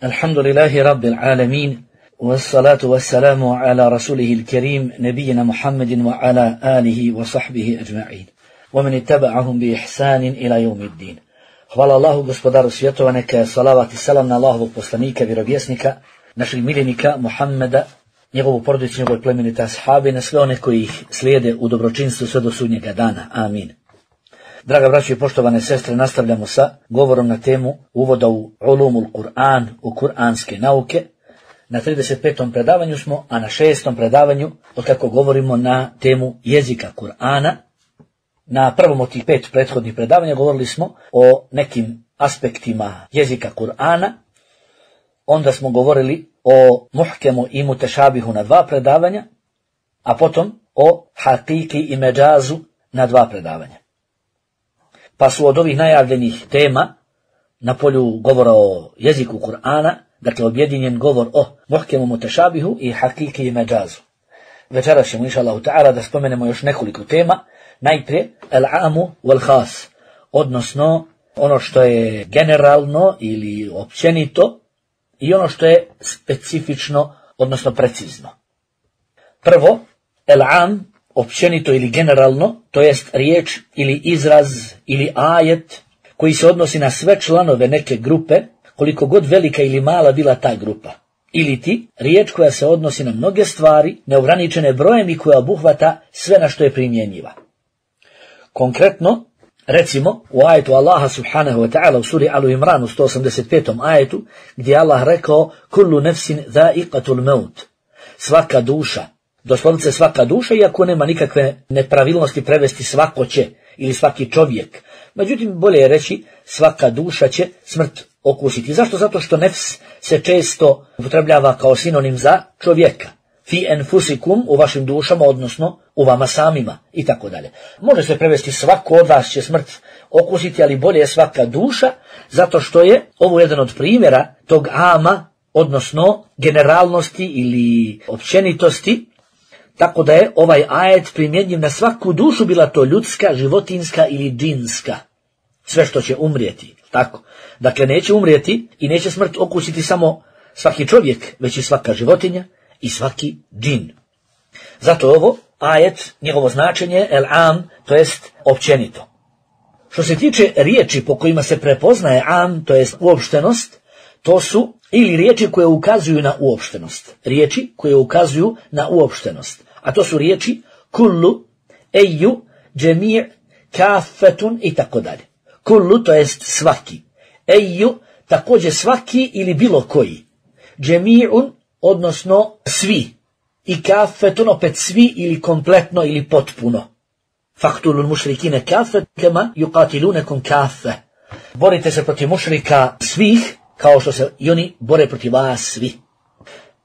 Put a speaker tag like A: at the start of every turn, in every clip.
A: الحمد لله رب العالمين والصلاة والسلام على رسوله الكريم نبينا محمد وعلى آله وصحبه أجمعين ومن اتبعهم بإحسان إلى يوم الدين. Hvala Allahu, gospodaru svjetova, neka je salavat i salam na Allahovog poslanika, vjerovjesnika, našeg miljenika Muhammeda, njegovu porodicu, njegove plemenite ashabe, na sve one koji ih slijede u dobročinstvu sve do sudnjega dana. Amin. Draga braćo i poštovane sestre, nastavljamo sa govorom na temu uvoda u ulumul Kur'an, u kuranske nauke. Na 35. predavanju smo, a na 6. predavanju, otkako govorimo na temu jezika Kur'ana. Na prvom od tih 5 prethodnih predavanja govorili smo o nekim aspektima jezika Kur'ana. Onda smo govorili o muhkemu i mutešabihu na 2 predavanja, a potom o hakiki i međazu na 2 predavanja. Pa su od ovih najavljenih tema na polju govora o jeziku Kur'ana, dakle objedinjen govor o muhkemu mutešabihu i hakiki i međazu. Večeras ćemo, inša Allahu ta'ala, da spomenemo još nekoliko tema. Najprije, al-amu wal-khas, odnosno ono što je generalno ili općenito i ono što je specifično, odnosno precizno. Prvo, al-am, općenito ili generalno, to jest riječ ili izraz ili ajet koji se odnosi na sve članove neke grupe, koliko god velika ili mala bila ta grupa. Ili ti, riječ koja se odnosi na mnoge stvari, neograničene brojem i koja obuhvata sve na što je primjenjiva. Konkretno, recimo u ajetu Allaha subhanahu wa ta'ala u suri Alu Imran u 185. ajetu, gdje Allah rekao kullu nefsin dha'iqatul maut, svaka duša, doslovce svaka duša, iako nema nikakve nepravilnosti prevesti svako će ili svaki čovjek. Međutim, bolje je reći svaka duša će smrt okusiti. Zašto? Zato što nefs se često upotrebljava kao sinonim za čovjeka. Fi enfusikum, u vašim dušama, odnosno u vama samima i tako dalje. Može se prevesti svako od vas će smrt okusiti, ali bolje je svaka duša, zato što je ovo jedan od primjera tog ama, odnosno generalnosti ili općenitosti, tako da je ovaj ajet primjenjiv na svaku dušu, bila to ljudska, životinska ili džinska. Sve što će umrijeti, tako. Dakle, neće umrijeti i neće smrt okusiti samo svaki čovjek, već i svaka životinja i svaki džin. Zato ovo ajet, njegovo značenje, el-am, to jest općenito. Što se tiče riječi po kojima se prepoznaje am, to jest uopštenost, to su ili riječi koje ukazuju na uopštenost. Riječi koje ukazuju na uopštenost. A to su riječi kullu, eju, džemir, kafetun i tako dalje. Kullu, to jest svaki. Eju, također svaki ili bilo koji. Džemirun, odnosno svi. I kafetun, opet svi ili kompletno ili potpuno. Faktulul mušrikine kafet kema yuqatilunekum kafe. Borite se protiv mušrika svih, kao što se i oni bore protiv vas svi.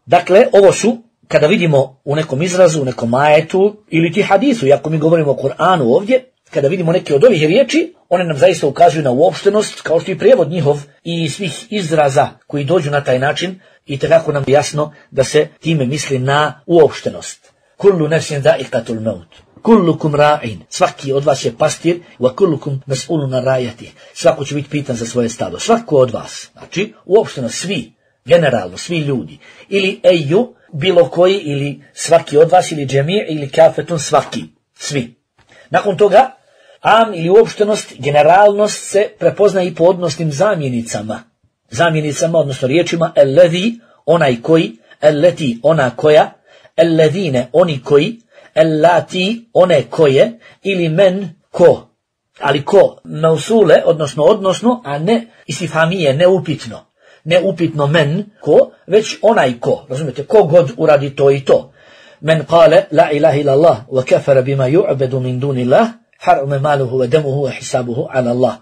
A: Dakle, ovo su, kada vidimo u nekom izrazu, u nekom ajetu ili ti hadisu, iako mi govorimo o Kur'anu ovdje, kada vidimo neke od ovih riječi, one nam zaista ukazuju na uopštenost, kao što i prijevod njihov i svih izraza koji dođu na taj način, i tako nam je jasno da se time misli na uopštenost. Kullu nefsin dha'iqatul maut. Kullukum ra'in. Svaki od vas je pastir, wa kullukum mas'ulun an ra'iyatih. Svako će biti pitan za svoje stado. Svako od vas. Znači, uopštenost, svi, generalno, svi ljudi. Ili eju, bilo koji, ili svaki od vas, ili džemir, ili kafetun, svaki. Svi. Nakon toga, am ili uopštenost, generalnost se prepoznaje i po odnosnim zamjenicama. Zamjenicama, odnosno riječima alladhi, onaj koji, allati, ona koja, alladhine, oni koji, allati, one koje, ili men, ko. Ali ko, mausule, odnosno, a ne istifhamije, neupitno. Neupitno men, ko, već onaj ko. Razumijete, ko god uradi to i to. Men kale, la ilaha illallah, wa kafara bima yu'bedu min dunillah, harame maluhu wa demuhu wa hisabuhu ala Allah.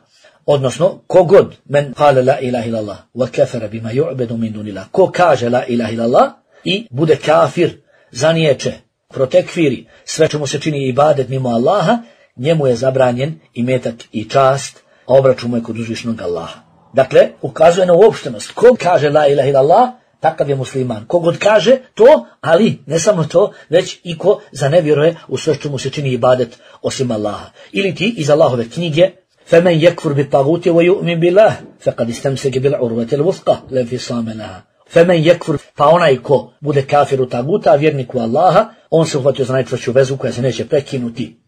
A: Odnosno, kogod men kale la ilaha illallah wa kafara bima yu'bedu min dunillah, ko kaže la ilaha illallah i bude kafir, zaniječe, protekfiri, sve čemu se čini ibadet mimo Allaha, njemu je zabranjen imetak i čast, a obračun mu je kod uzvišnog Allaha. Dakle, ukazuje na uopštenost. Ko kaže la ilaha illallah, takav je musliman. Kogod kaže to, ali ne samo to, već i ko zanevjeruje u sve čemu se čini ibadet osim Allaha. Ili ti iz Allahove knjige, فَمَنْ يَكْفُرْ بِالطَّاغُوتِ وَيُؤْمِنْ بِاللَّهِ فَقَدْ اسْتَمْسَكَ بِالْعُرْوَةِ الْوُثْقَى لَا انفِصَامَ لَهَا فَمَنْ يَكْفُرْ, pa onaj ko bude kafir u taguta, a vjernik u Allaha, on se uhvatio za najčvršću vezu koja se neće prekinuti.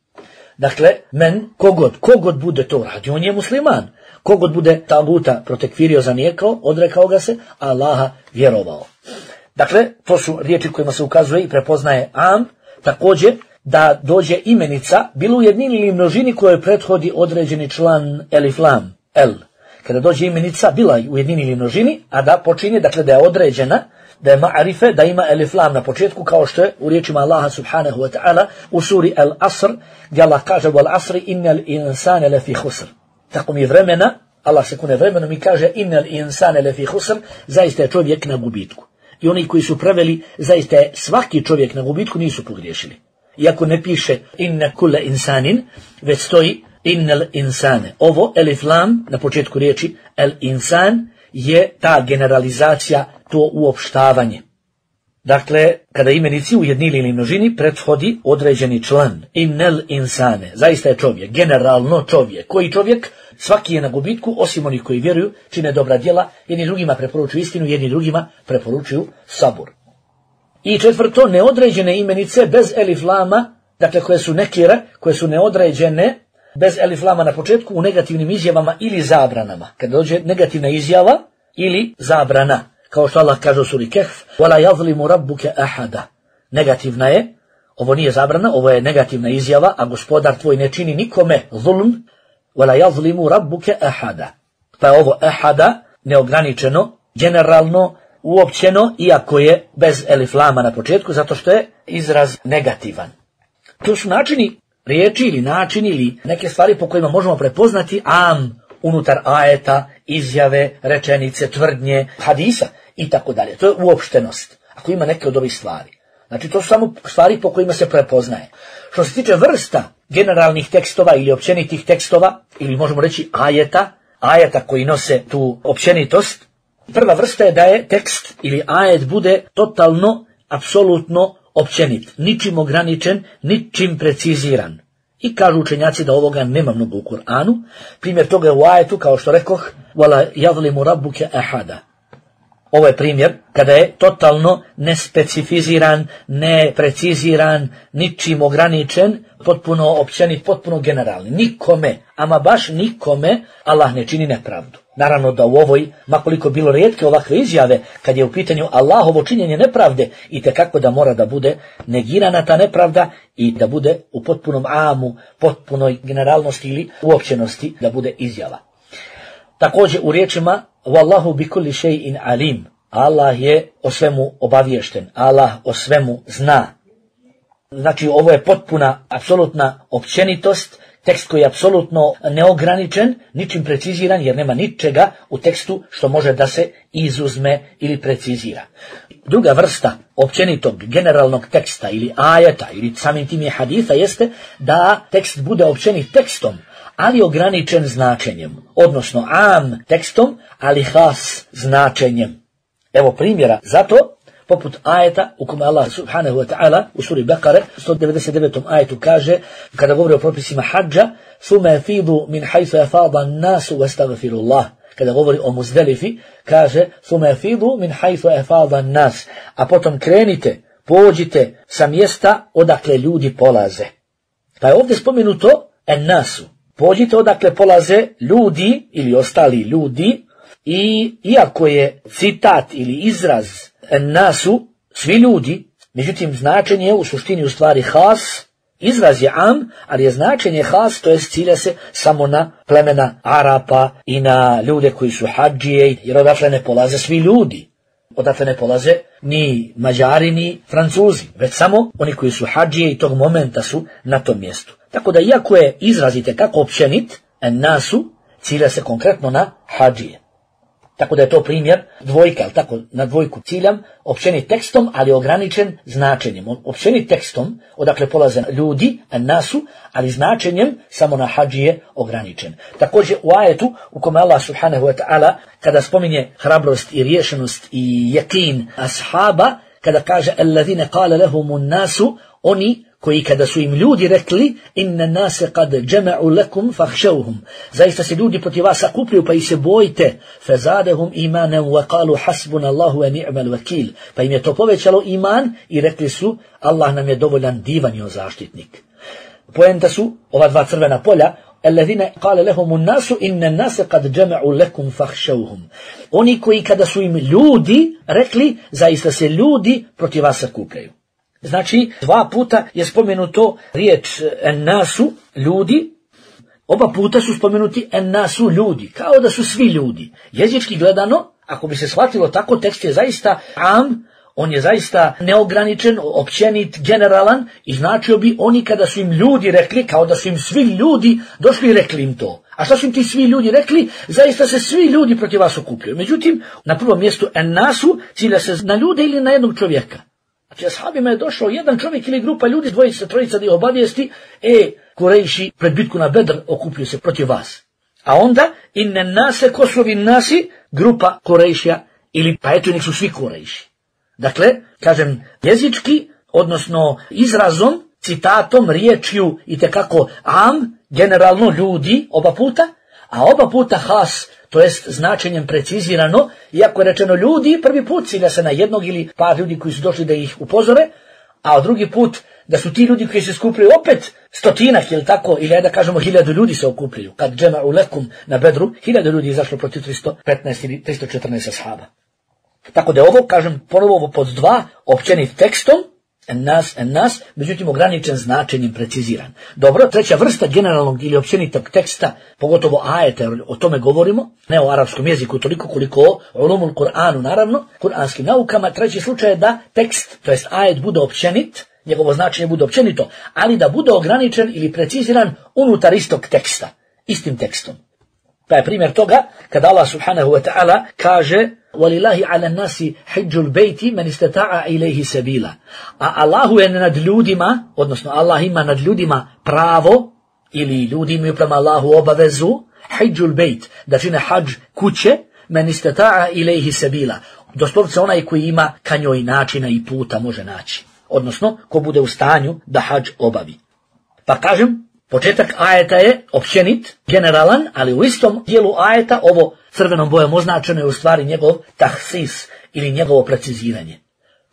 A: Dakle, kogod bude to radio, on je musliman. Kogod bude taguta protekfirio, zanijekao, odrekao ga se, a Allaha vjerovao. Dakle, to su riječi kojima se ukazuje i prepoznaje am, također da dođe imenica, bilo u jednini ili množini kojoj prethodi određeni član elif lam, el. Kada dođe imenica, bila u jednini ili množini, a da počinje, dakle da je određena, da je ma'arife, da ima elif lam na početku, kao što je u riječima Allaha subhanahu wa ta'ala u suri Al-Asr, gdje Allah kaže wal asri innal insane lefi husr. Tako mi vremena, Allah se kune vremenom i kaže innal insane lefi husr, zaista je čovjek na gubitku. I oni koji su preveli, zaista je svaki čovjek na gubitku, nisu pogriješili. Iako ne piše inna kulla insanin, već stoji innal insane. Ovo elif lam na početku riječi el insan je ta generalizacija, to uopštavanje. Dakle, kada imenici u jednini ili množini prethodi određeni član. Innal insane, zaista je čovjek, generalno čovjek. Koji čovjek? Svaki je na gubitku, osim onih koji vjeruju, čine dobra djela, jedni drugima preporučuju istinu, jedni drugima preporučuju sabur. I četvrto, neodređene imenice bez elif lama, dakle koje su nekire, koje su neodređene, bez elif lama na početku u negativnim izjavama ili zabranama. Kada dođe negativna izjava ili zabrana, kao što Allah kaže u suri Kehf, وَلَا يَظْلِمُ رَبُّكَ أَحَدًا. Negativna je, ovo nije zabrana, ovo je negativna izjava, a gospodar tvoj ne čini nikome zulm, وَلَا يَظْلِمُ رَبُّكَ أَحَدًا. Pa je ovo ahada neograničeno, generalno, uopćeno, iako je bez elif lama na početku, zato što je izraz negativan. To su načini riječi ili načini ili neke stvari po kojima možemo prepoznati am unutar ajeta, izjave, rečenice, tvrdnje, hadisa i tako dalje. To je uopštenost, ako ima neke od ovih stvari. Znači to su samo stvari po kojima se prepoznaje. Što se tiče vrsta generalnih tekstova ili općenitih tekstova, ili možemo reći ajeta koji nose tu općenitost, prva vrsta je da je tekst ili ajet bude totalno, apsolutno općenit, ničim ograničen, ničim preciziran. I kažu učenjaci da ovoga nema mnogo u Kur'anu. Primjer toga je u ajetu, kao što rekoh, وَلَا يَظْلِمُ رَبُّكَ أَحَدًا. Ovo je primjer kada je totalno nespecifiziran, nepreciziran, ničim ograničen, potpuno općenit, potpuno generalni. Nikome, ama baš nikome, Allah ne čini nepravdu. Naravno da u ovoj, makoliko bilo rijetke ovakve izjave, kad je u pitanju Allahovo činjenje nepravde, itekako da mora da bude negirana ta nepravda i da bude u potpunom amu, potpunoj generalnosti ili uopćenosti da bude izjava. Također u riječima Wallahu bi kulli shay'in alim. Allah je o svemu obaviješten. Allah o svemu zna. Znači ovo je potpuna, apsolutna općenitost, tekst koji je apsolutno neograničen, ničim preciziran, jer nema ničega u tekstu što može da se izuzme ili precizira. Druga vrsta općenitog generalnog teksta ili ajeta ili samim tim je haditha jeste da tekst bude općenit tekstom, ali ograničen značenjem, odnosno am tekstom, ali has značenjem. Evo primjera zato, poput ajeta u kome Allah subhanahu wa ta'ala u suri Bekare 199. ajetu kaže, kada govori o propisima hadža, ثُمَ يَفِيضُ مِنْ حَيْثُ يَفَاضَ النَّاسُ وَاسْتَغْفِرُ اللَّهِ. Kada govori o Muzdelifi, kaže ثُمَ يَفِيضُ مِنْ حَيْثُ يَفَاضَ النَّاسُ. A potom krenite, pođite sa mjesta odakle ljudi polaze. Pa je ovdje spomenuto en-nasu. Pođite odakle polaze ljudi ili ostali ljudi, i iako je citat ili izraz en-nasu svi ljudi, međutim značenje je u suštini u stvari has, izraz je am, ali je značenje has, to jest cilja se samo na plemena Arapa i na ljude koji su hadžije, jer odatle ne polaze svi ljudi. Odatle ne polaze ni Mađari ni Francuzi, već samo oni koji su hadžije i tog momenta su na tom mjestu. Tako da iako je izraz itekako općenit, en-nasu cilja se konkretno na hadžije. Tako da je to primjer dvojka, ali tako na dvojku ciljam, općenit tekstom, ali ograničen značenjem. Općenit tekstom, odakle polaze ljudi, nasu, ali značenjem samo na hadžije ograničen. Također u ajetu u kome Allah subhanahu wa ta'ala, kada spominje hrabrost i riješenost i jakin ashaba, kada kaže alladhina qala lahumun nasu, oni koji kada su im ljudi rekli inna nase kad džema'u lekum fahšauhum, zaista se ljudi protiv vas sakupljaju pa ih se bojite, fazadehum imanem wa kalu hasbuna Allahu wa ni'mal vakil, pa im je to povećalo iman i rekli su Allah nam je dovoljan, divan je zaštitnik. Poenta su ova dva crvena polja, الذين قال لهم الناس إن الناس قد جمعوا لكم فاخشوهم. Oni koji kada su im ljudi rekli zaista se ljudi protiv vas sakupljaju. Znači, dva puta je spomenuto riječ nasu, ljudi, oba puta su spomenuti nasu, ljudi, kao da su svi ljudi. Jezički gledano, ako bi se shvatilo tako, tekst je zaista on je zaista neograničen, općenit, generalan i značio bi oni kada su im ljudi rekli, kao da su im svi ljudi došli i rekli im to. A šta su im ti svi ljudi rekli? Zaista se svi ljudi protiv vas okupljaju. Međutim, na prvom mjestu nasu cilja se na ljude ili na jednog čovjeka. Znači, ashabima je došao jedan čovjek ili grupa ljudi, dvojica, trojica da ih obavijesti, Kurejši pred bitku na Bedr okupljuju se protiv vas. A onda, inne nase, ko su ovi nasi? Grupa Kurejšija ili pa eto nek su svi Kurejši. Dakle, kažem, jezički, odnosno izrazom, citatom, riječju i tekako generalno ljudi oba puta, a oba puta has, to jest značenjem precizirano, iako je rečeno ljudi, prvi put cilja se na jednog ili par ljudi koji su došli da ih upozore, a drugi put da su ti ljudi koji se skupljaju opet stotinak ili tako, ili da kažemo 1000 ljudi se okupljaju. Kad džema'u lekum na Bedru, 1000 ljudi izašlo protiv 315 ili 314 ashaba. Tako da ovo, kažem, ponovo ovo pod dva, općenit tekstom, nas, međutim ograničen značenjem, preciziran. Dobro, treća vrsta generalnog ili općenitog teksta, pogotovo ajeta, o tome govorimo, ne o arapskom jeziku toliko koliko o ulumul Kur'anu, naravno, kuranskim naukama. Treći slučaj je da tekst, to jest ajet, bude općenit, njegovo značenje bude općenito, ali da bude ograničen ili preciziran unutar istog teksta, istim tekstom. Pa je primjer toga kada Allah subhanahu wa ta'ala kaže وَلِلَّهِ عَلَى النَّاسِ حِجُّ الْبَيْتِ مَنِ اسْتَطَاعَ إِلَيْهِ سَبِيلًا. A Allahu je nad ljudima, odnosno Allah ima nad ljudima pravo, ili ljudi imaju prema Allahu obavezu, حِجُّ الْبَيْتِ, da čine hadž kuće, مَنِ اسْتَطَاعَ إِلَيْهِ سَبِيلًا. Doslovce onaj koji ima ka njoj načina i puta može naći. Odnosno, ko bude u stanju da hadž obavi. Pa kažem, početak ajeta je općenit, generalan, ali u istom dijelu ajeta ovo crvenom bojom označeno je u stvari njegov tahsis ili njegovo preciziranje.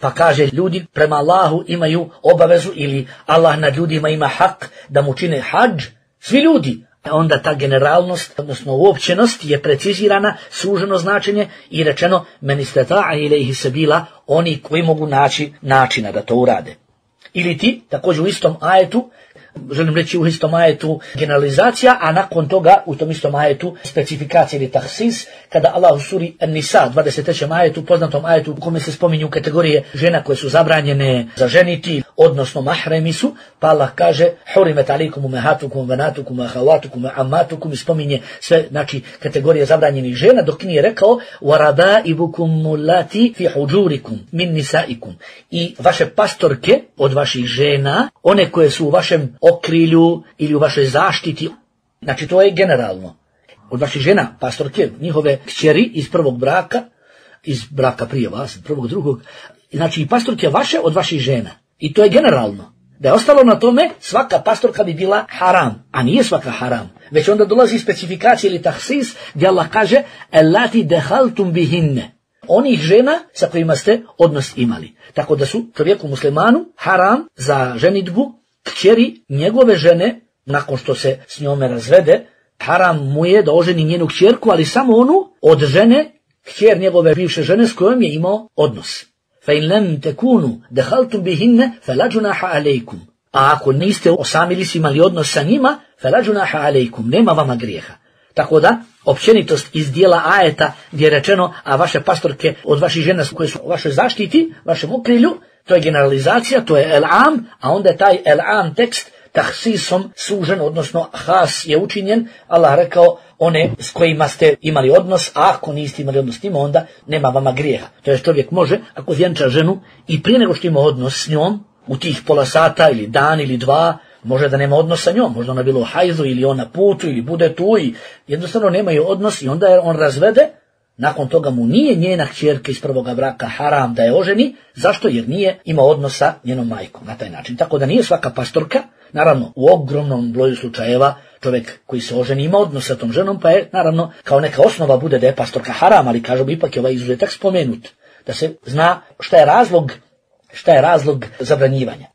A: Pa kaže, ljudi prema Allahu imaju obavezu ili Allah nad ljudima ima hak da mu čine hadž, svi ljudi. Onda ta generalnost, odnosno uopćenost je precizirana, suženo značenje i rečeno men istata'a ilejhi sabila, oni koji mogu naći načina da to urade. Ili ti, također u istom ajetu, želim reći u istom ajetu generalizacija, a nakon toga u tom istom ajetu specifikacija ili tahsis, kada Allah u suri An-Nisa, 23. ajetu, poznatom ajetu u kome se spominju kategorije žena koje su zabranjene za ženiti, odnosno mahremi su, pa Allah kaže hurimet alikum umehatukum, venatukum, ahavatukum, ammatukum, i spominje sve, znači, kategorije zabranjenih žena, dok nije rekao warabaibukum mulati fi hujurikum min nisaikum, i vaše pastorke od vaših žena, one koje su u vašem okrilju ili u vašoj zaštiti, znači to je generalno. Od vaših žena, pastorke, njihove kćeri iz prvog braka, iz braka prije vas, prvog, drugog, znači i pastorke vaše od vaših žena. I to je generalno. Da je ostalo na tome, svaka pastorka bi bila haram, a nije svaka haram. Već onda dolazi specifikacija ili tahsis, gdje Allah kaže elati dehaltum bihinne, onih žena sa kojima ste odnos imali. Tako da su čovjeku muslimanu haram za ženidbu kćeri njegove žene, nakon što se s njome razvede, haram mu je da oženi njenu kćerku, ali samo onu od žene, kćer njegove bivše žene s kojom je imao odnos. فَإِنْ لَمْ تَكُونُوا دَخَلْتُمْ بِهِنَّ فَلَا جُنَاحَ عَلَيْكُمْ. A ako niste osamili si imali odnos sa njima, فَلَا جُنَاحَ عَلَيْكُمْ, nema vama grijeha. Tako da, općenitost iz dijela ajeta gdje je rečeno, a vaše pastorke od vaših žena koje su u vašoj zaštiti, vašem okrilju, to je generalizacija, to je el-am, a onda je taj el-am tekst tahsisom sužen, odnosno has je učinjen. Allah rekao one s kojima ste imali odnos, a ako niste imali odnos s njima, onda nema vama grijeha. To je čovjek može, ako vjenča ženu i prije nego što ima odnos s njom, u tih pola sata ili dan ili dva, može da nema odnos sa njom, možda ona bila u hajzu ili on na putu ili bude tu i jednostavno nemaju odnos i onda je on razvede, nakon toga mu nije njena kćerka iz prvoga braka haram da je oženi. Zašto? Jer nije imao odnos sa njenom majkom na taj način. Tako da nije svaka pastorka, naravno u ogromnom broju slučajeva čovjek koji se oženi ima odnos sa tom ženom, pa je naravno kao neka osnova bude da je pastorka haram, ali kažemo ipak je ovaj izuzetak spomenut, da se zna šta je razlog zabranjivanja.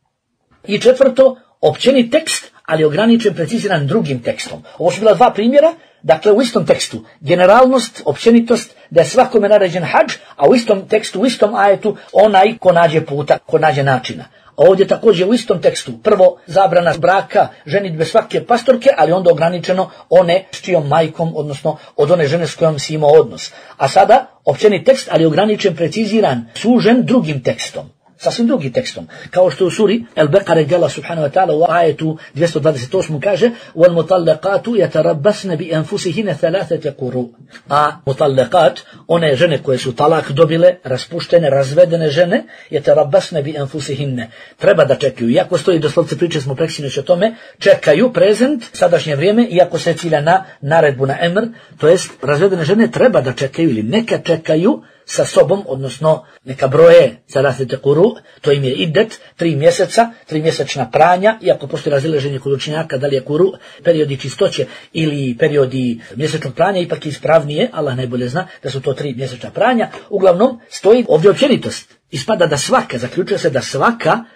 A: I četvrto, općeni tekst, ali ograničen, preciziran drugim tekstom. Ovo su bila dva primjera, dakle u istom tekstu, generalnost, općenitost, da je svakome naređen hadž, a u istom tekstu, u istom ajetu, onaj ko nađe puta, ko nađe načina. A ovdje također u istom tekstu, prvo zabrana braka, ženidbe svake pastorke, ali onda ograničeno one s čijom majkom, odnosno od one žene s kojom si imao odnos. A sada općeni tekst, ali ograničen, preciziran, sužen drugim tekstom. Sasvim drugim tekstom. Kao što u suri Al-Baqara gdje Allah subhanahu wa ta'ala u ajetu 228 kaže وَالْمُطَلَّقَاتُ يَتَرَبَّسْنَ بِأَنفُسِهِنَ ثَلَاثَةَ قُرُوء. A mutallaqat, one žene koje su talak dobile, raspuštene, razvedene žene, يَتَرَبَّسْنَ بِأَنفُسِهِنَ. Treba da čekaju. Iako stoji doslovce priče, smo preksinoć o tome, čekaju prezent, sadašnje vrijeme, iako se cilja na naredbu, na emr, to jest razvedene žene treba da čekaju ili neka čekaju sa sobom, odnosno neka broje salasete kuru, to im je idet, 3 mjeseca, 3 mjesečna pranja, iako postoji razilaženje kod učenjaka da li je kuru periodi čistoće ili periodi mjesečnog pranja, ipak je ispravnije, Allah najbolje zna da su to 3 mjesečna pranja. Uglavnom stoji ovdje općenitost. Ispada da svaka, zaključuje se da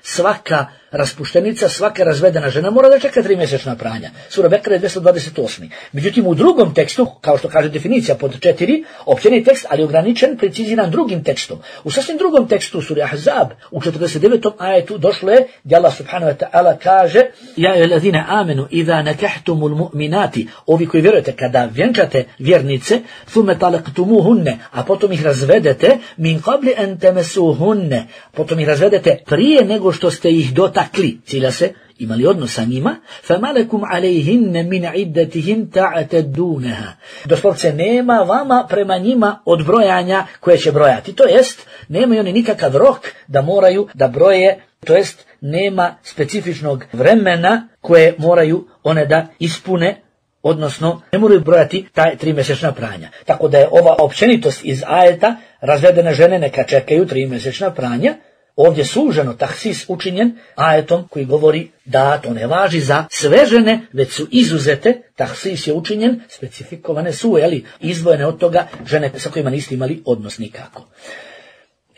A: svaka raspuštenica, svaka razvedena žena mora da čeka 3 mjesečna pranja. Sura Bekara je 228. Međutim, u drugom tekstu, kao što kaže definicija pod 4, općeni tekst, ali ograničen, preciziran drugim tekstom. U sasvim drugom tekstu sura Ahzab, u 49. ajetu došlo je gdje Allah subhanahu wa ta'ala kaže Ja ayyuhallazina amanu idha nakahtumul mu'minati, ovi koji vjerujete kada vjenčate vjernice, thumma talaqtumuhunne, a potom ih razvedete, min qabli an tamassuhunne, potom ih razvedete prije nego što ste ih dotakli, cilja se imali odnos sa njima, فَمَلَكُمْ عَلَيْهِنَّ مِنْ عِدَّتِهِمْ تَعْتَدُّونَهَا. Doslovce nema vama prema njima odbrojanja koje će brojati. To jest, nemaju oni nikakav rok da moraju da broje, to jest, nema specifičnog vremena koje moraju one da ispune, odnosno ne moraju brojati taj 3 mjesečna pranja. Tako da je ova općenitost iz ajeta, razvedene žene neka čekaju 3 mjesečna pranja, ovdje suženo tahsis učinjen ajetom koji govori da to ne važi za sve žene, već su izuzete, tahsis je učinjen, specifikovane su, izdvojene od toga žene sa kojima niste imali odnos nikako.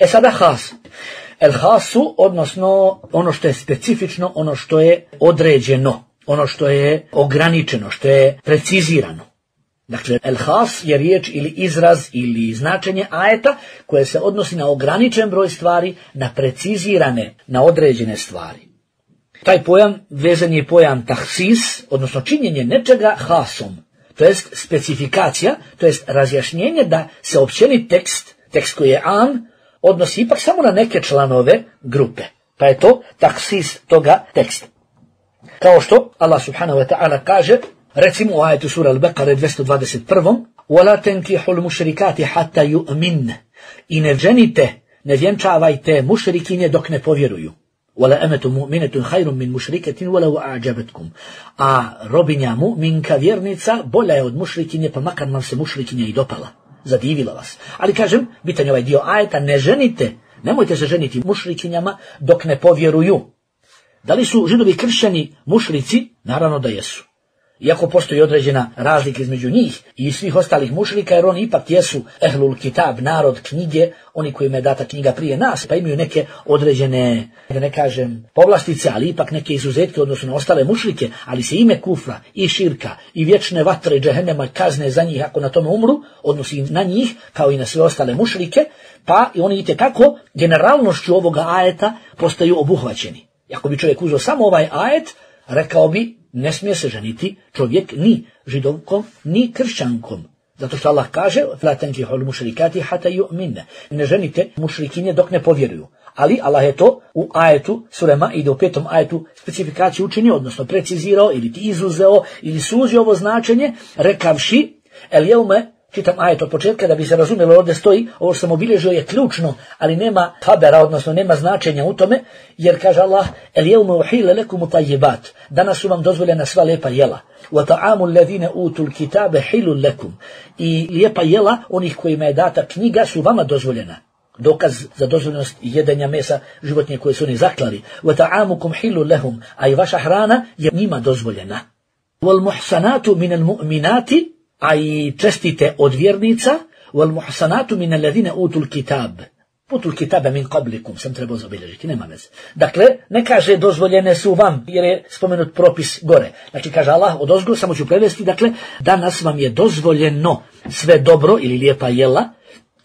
A: Sada has. El hasu, odnosno ono što je specifično, ono što je određeno, ono što je ograničeno, što je precizirano. Dakle, el-has je riječ ili izraz ili značenje ajeta koje se odnosi na ograničen broj stvari, na precizirane, na određene stvari. Taj pojam vezan je pojam tahsis, odnosno činjenje nečega hasom, to jest specifikacija, to jest razjašnjenje da se općeni tekst koji je am, odnosi ipak samo na neke članove grupe. Pa je to tahsis toga teksta. Kao što Allah subhanahu wa ta'ala kaže, recimo u ajetu sura Al-Baqara 221. وَلَا تَنْكِحُ الْمُشْرِكَاتِ حَتَّى يُؤْمِنَّ. I ne ženite, ne vjenčavajte mušrikinje dok ne povjeruju. وَلَا أَمَةٌ مُؤْمِنَةٌ خَيْرٌ مِنْ مُشْرِكَةٍ وَلَوْ أَعْجَبَتْكُمْ. A robinja mu'minka, vjernica, bolja je od mušrikinje, pa makar vam se mušrikinja i dopala, zadivila vas. Ali kažem, bitan je ovaj dio ajeta, ne ženite, nemojte se ženiti mušrikinjama dok ne povjeruju. Da li su židovi kršćani mušrici? Naravno da jesu. Iako postoji određena razlika između njih i svih ostalih mušrika, jer oni ipak jesu ehlul kitab, narod knjige, oni kojima je data knjiga prije nas, pa imaju neke određene, da ne kažem, povlastice, ali ipak neke izuzetke odnosno na ostale mušrike, ali se ime kufra i širka i vječne vatre džehennema kazne za njih ako na tome umru, odnosi na njih kao i na sve ostale mušrike, pa i oni itekako generalnošću ovoga ajeta postaju obuhvaćeni. Ako bi čovjek uzeo samo ovaj ajet, rekao bi, ne smije se ženiti čovjek ni židovkom, ni kršćankom. Zato što Allah kaže, فَلَا تَنْكِحُ الْمُشْرِكَاتِ حَتَّى يُؤْمِنَّ. Ne ženite mušrikinje dok ne povjeruju. Ali Allah je to u ajetu sure Maide u 5. ajetu specifikaciju učinio, odnosno precizirao ili ti izuzeo ili suzio ovo značenje, rekavši, el jeume čitam ajet od početka da bi se razumjelo, ovdje stoji, ovo što sam obilježio je ključno, ali nema habera, odnosno nema značenja u tome, jer kaže Allah, el jevme uhile lekumu tajjibat, danas su vam dozvoljena sva lijepa jela. Wa ta'amu alladhina utul kitabe hilul lekum, i lijepa jela onih kojima je data knjiga su vama dozvoljena. Dokaz za dozvoljenost jedenja mesa životinje koje su oni zaklali. Wa ta'amukum hilul lahum, a i vaša hrana je njima dozvoljena. Wal muhsanatu minal mu'minati, a i čestite od vjernica, wal muhsanatu min alladhina utul kitab. Utul kitabe min qablikum, sam trebao zabilježiti, nema veze. Dakle, ne kaže dozvoljene su vam, jer je spomenut propis gore. Znači, kaže Allah odozgo, samo ću prevesti, dakle, danas vam je dozvoljeno sve dobro ili lijepa jela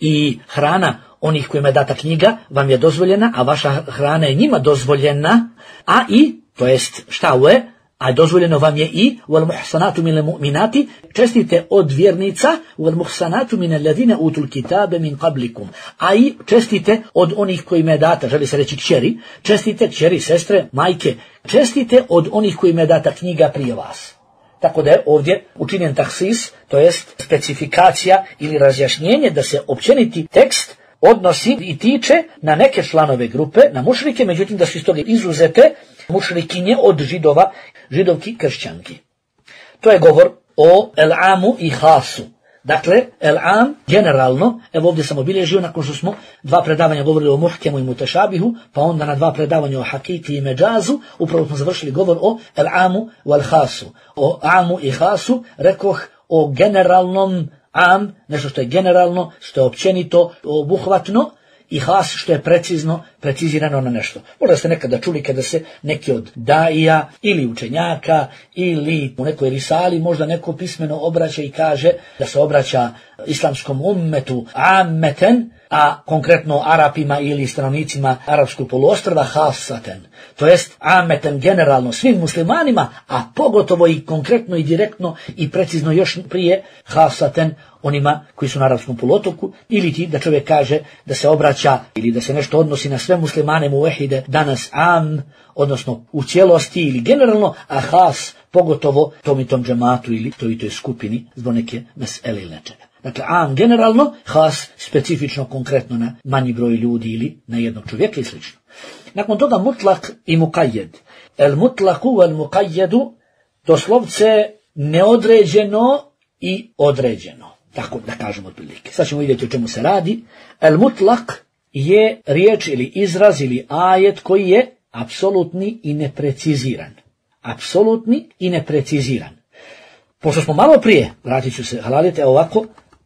A: i hrana onih kojima je data knjiga vam je dozvoljena, a vaša hrana je njima dozvoljena, a i, to jest šta je, a dozvoljeno vam je i wal muhsanatu minal mu'minati, čestite od vjernica, wal muhsanatu minal ladina utul kitabe min qablikum, a i čestite od onih kojima je data, želi se reći kćeri, čestite kćeri, sestre, majke, čestite od onih kojima je data knjiga prije vas. Tako da je ovdje učinjen tahsis, to jest specifikacija ili razjašnjenje da se općeniti tekst odnosi i tiče na neke članove grupe, na mušrike, međutim da su iz toga izuzete mušrikinje od židova, židovki kršćanki. To je govor o el-amu i hasu. Dakle, el-am generalno, evo ovdje sam obilježio nakon što smo 2 predavanja govorili o muhkemu i mutešabihu, pa onda na 2 predavanja o hakiki i međazu, upravo smo završili govor o el-amu wal hasu. O amu i hasu rekoh o generalnom am, nešto što je generalno, što je općenito, obuhvatno, i has što je precizirano na nešto. Možda ste nekada čuli kada se neki od daija ili učenjaka ili u nekoj risali možda neko pismeno obraća i kaže da se obraća islamskom ummetu ammeten, a konkretno Arapima ili stanovnicima arapskog poluostrva hasaten. To jest ammeten generalno svim muslimanima, a pogotovo i konkretno i direktno i precizno još prije hasaten onima koji su na arapskom poluotoku, ili ti da čovjek kaže da se obraća ili da se nešto odnosi na sve muslimane muvehide danas am, odnosno u cijelosti ili generalno, a has pogotovo tom i tom džematu ili toj skupini zbog neke mesele ili nečega. Dakle, am generalno, has specifično konkretno na manji broj ljudi ili na jednog čovjeka i sl. Nakon toga mutlak i muqayyad. El mutlaku wal muqayyadu doslovce neodređeno i određeno. Tako da kažemo otprilike. Sad ćemo vidjeti o čemu se radi. El mutlak je riječ ili izraz ili ajet koji je apsolutni i nepreciziran. Apsolutni i nepreciziran. Pošto smo malo prije, vratit ću se, halalite ovako,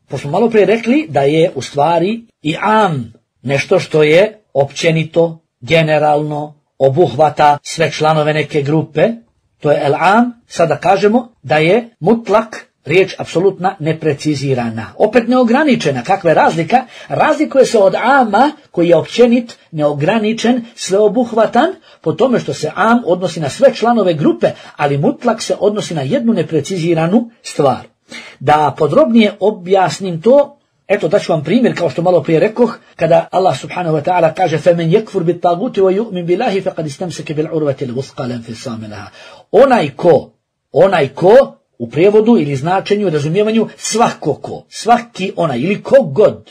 A: pošto smo malo prije rekli da je u stvari i am nešto što je općenito, generalno, obuhvata sve članove neke grupe, to je el am, sada kažemo da je mutlak riječ apsolutna neprecizirana. Opet neograničena. Kakva je razlika? Razlikuje se od ama koji je općenit, neograničen, sveobuhvatan, po tome što se am odnosi na sve članove grupe, ali mutlak se odnosi na jednu nepreciziranu stvar. Da podrobnije objasnim to, eto daću vam primjer kao što malo prije rekoh, kada Allah subhanahu wa ta'ala kaže فَمَنْ يَكْفُرْ بِالْطَاغُوتِ وَيُؤْمِنْ بِاللَّهِ فَقَدْ اسْتَمْسَكَ بِالْعُرْوَةِ الْوُثْقَى لَا انْفِصَامَ لَهَا. Onaj ko u prijevodu ili značenju i razumijevanju svaki onaj ili kogod.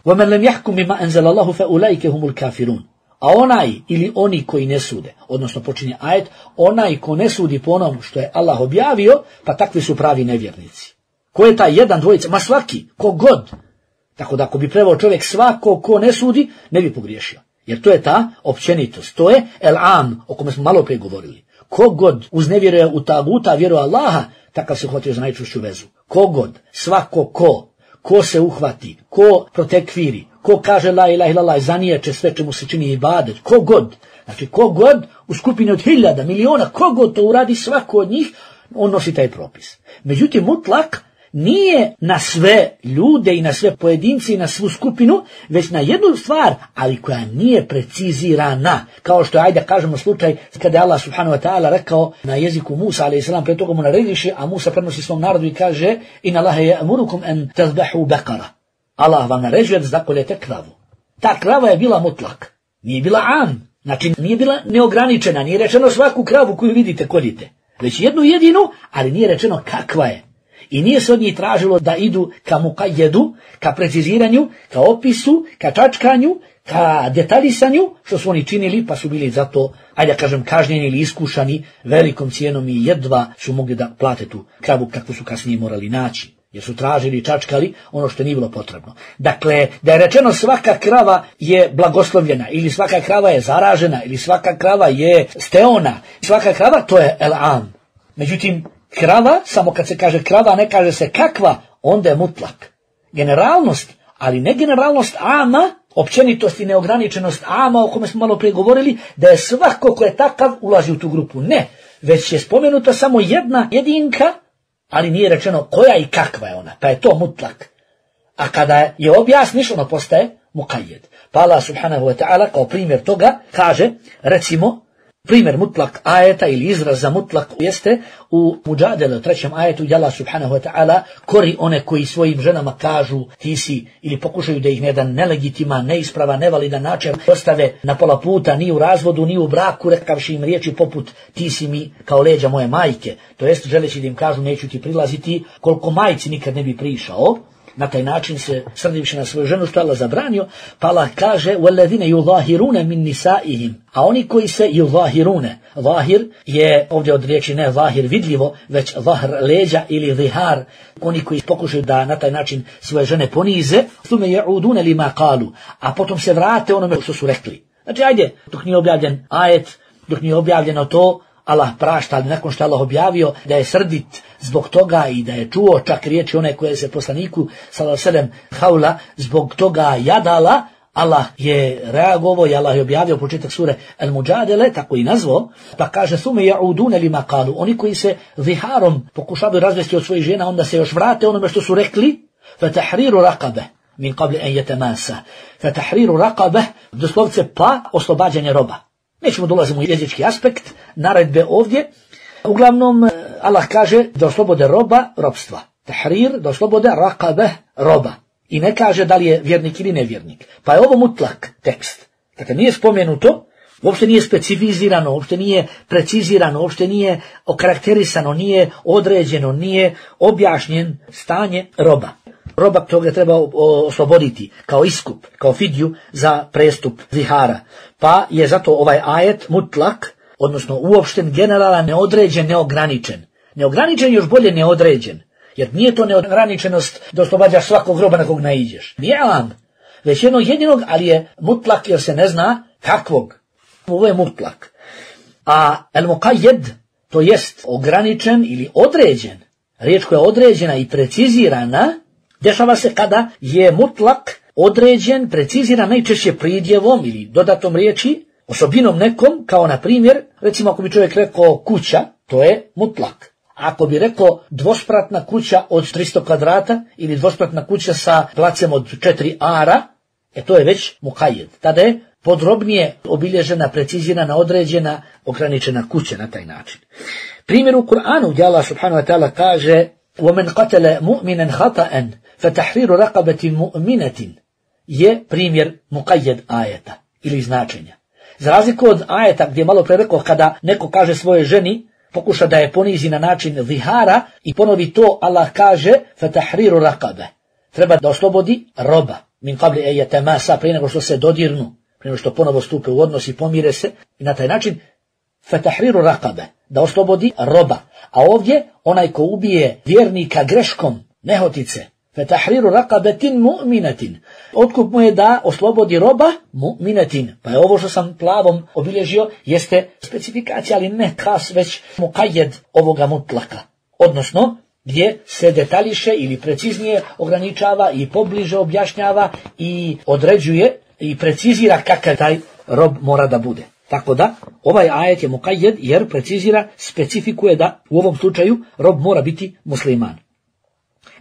A: وَمَنْ لَمْ يَحْكُمْ بِمَا أَنْزَلَ اللَّهُ فَأُولَئِكَ هُمُ الْكَافِرُونَ. A onaj ili oni koji ne sude, odnosno počinje ajet, onaj ko ne sudi po onom što je Allah objavio, pa takvi su pravi nevjernici. Ko je taj jedan, dvojica? Ma svaki, kogod. Tako da ako bi preveo čovjek svako ko ne sudi, ne bi pogriješio. Jer to je ta općenitost. To je el am, o kome smo malo prije govorili. Kogod uznevjeruje u taguta, vjeruje Allaha, takav se uhvatio za najčvršću vezu. Kogod, svako ko se uhvati, ko protekviri, ko kaže la ilaha illallah, zaniječe sve čemu se čini ibadet, kogod, znači kogod u skupini od 1000, miliona, kogod to uradi, svako od njih, on nosi taj propis. Međutim, mutlak nije na sve ljude i na sve pojedince i na svu skupinu, već na jednu stvar, ali koja nije precizirana. Kao što je, ajde kažemo slučaj, kada je Allah subhanahu wa ta'ala rekao na jeziku Musa, a.s. pre toga mu narediše, a Musa prenosi svom narodu i kaže inna Allahe ya'murukum an tazbahu baqara. Allah vam naređuje da zakoljete kravu. Ta krava je bila mutlak, nije bila am, znači nije bila neograničena, nije rečeno svaku kravu koju vidite koljite, već jednu jedinu, ali nije rečeno kakva je. I nije se od njih tražilo da idu ka muqayyedu, ka preciziranju, ka opisu, ka čačkanju, ka detaljisanju, što su oni činili, pa su bili zato, ajde da kažem, kažnjeni ili iskušani velikom cijenom i jedva su mogli da plate tu kravu kakvu su kasnije morali naći. Jer su tražili i čačkali ono što nije bilo potrebno. Dakle, da je rečeno svaka krava je blagoslovljena, ili svaka krava je zaražena, ili svaka krava je steona, svaka krava to je el-am. Međutim, krava, samo kad se kaže krava, ne kaže se kakva, onda je mutlak. Generalnost, ali ne generalnost ama, općenitost i neograničenost ama, o kome smo malo prije govorili, da je svako ko je takav ulazi u tu grupu. Ne, već je spomenuta samo jedna jedinka, ali nije rečeno koja i kakva je ona, pa je to mutlak. A kada je objasniš, ono postaje muqayyed. Pa Allah subhanahu wa ta'ala kao primjer toga kaže, recimo, primjer mutlak ajeta ili izraz za mutlak jeste u Muđadele, u 3. ajetu, gdje Allah subhanahu wa ta'ala kori one koji svojim ženama kažu ti si, ili pokušaju da ih na jedan nelegitiman, neispravan, nevalidan način ostave na pola puta, ni u razvodu, ni u braku, rekavši im riječi poput ti si mi kao leđa moje majke. To jest želeći da im kažu neću ti prilaziti, koliko majci nikad ne bi prišao. Na taj način se srdivši na svoju ženu, što Allah zabranio, pa Allah kaže وَالَّذِينَ يُظَاهِرُونَ مِنْ نِسَائِهِمْ. A oni koji se yuzahirune, zahir je ovdje od riječi ne zahir vidljivo, već zahr leđa ili zihar, oni koji pokušaju da na taj način svoje žene ponize, ثُمَ يَعُودُونَ لِمَا قَالُوا, a potom se vrate onome što su rekli. Znači ajde, dok nije objavljen ajet, dok nije objavljeno to, Allah prašta, ali nakon što Allah objavio da je srdit zbog toga i da je čuo čak riječi one koje se poslaniku sallallahu alejhi ve sellem haula zbog toga jadala, Allah je reagovao i Allah je objavio početak sure Al-Muđadele, tako i nazvao, pa kaže sume ja'udune lima qalu, oni koji se ziharom pokušavaju razvesti od svojih žena, onda se još vrate onome što su rekli, fatahriru raqabe min qabli an yatamassa, fatahriru raqabe, doslovce pa oslobađanje roba. Nećemo dolaziti u jezički aspekt naredbe ovdje. Uglavnom, Allah kaže da oslobode roba robstva. Tahrir, da oslobode raqabe roba. I ne kaže da li je vjernik ili nevjernik. Pa je ovo mutlak tekst. Dakle, nije spomenuto, uopšte nije specifizirano, uopšte nije precizirano, uopšte nije okarakterisano, nije određeno, nije objašnjen stanje roba. Roba toga treba osloboditi kao iskup, kao fidju za prestup zihara. Pa je zato ovaj ajet mutlak, odnosno uopšten, generalan, neodređen, neograničen. Neograničen još bolje neodređen, jer nije to neograničenost da oslobađaš svakog roba na kog naiđeš. Nije alam, već jednog jedinog, ali je mutlak jer se ne zna kakvog. Ovo je mutlak. A al-muqayyed, to jest ograničen ili određen, riječ koja je određena i precizirana, dešava se kada je mutlak određen, preciziran najčešće pridjevom ili dodatom riječi, osobinom nekom, kao na primjer, recimo ako bi čovjek rekao kuća, to je mutlak. Ako bi rekao dvospratna kuća od 300 kvadrata ili dvospratna kuća sa placem od 4 ara, to je već muqayyed. Tada je podrobnije obilježena, precizirana, određena, ograničena kuća na taj način. Primjer u Kur'anu gdje Allah subhanahu wa ta'ala kaže وَمَنْ قَتَلَ مُؤْمِنًا خَطَأً فَتَحْرِيرُ رَقَبَةٍ مُؤْمِنَةٍ je primjer muqayyed ajeta ili značenja. Za razliku od ajeta gdje malo pre rekao kada neko kaže svojoj ženi, pokuša da je ponizi na način zihara i ponovi to, Allah kaže فَتَحْرِيرُ رَقَبَةٍ, treba da oslobodi roba min qabli an yatamassa, prije nego što se dodirnu, prije nego što ponovo stupe u odnos i pomire se, i na taj način فَتَحْرِيرُ رَقَبَةٍ, da oslobodi roba. A ovdje onaj ko ubije vjernika greškom, nehotice, فَتَحْرِيرُ رَقَبَةٍ مُؤْمِنَةٍ, otkup mu je da oslobodi roba mu'minatin. Pa je ovo što sam plavom obilježio jeste specifikacija, ali ne kas, već muqayyed ovoga mutlaka. Odnosno, gdje se detaljiše ili preciznije ograničava i pobliže objašnjava i određuje i precizira kakav taj rob mora da bude. Tako da, ovaj ajet je muqayyed jer precizira, specifikuje da u ovom slučaju rob mora biti musliman.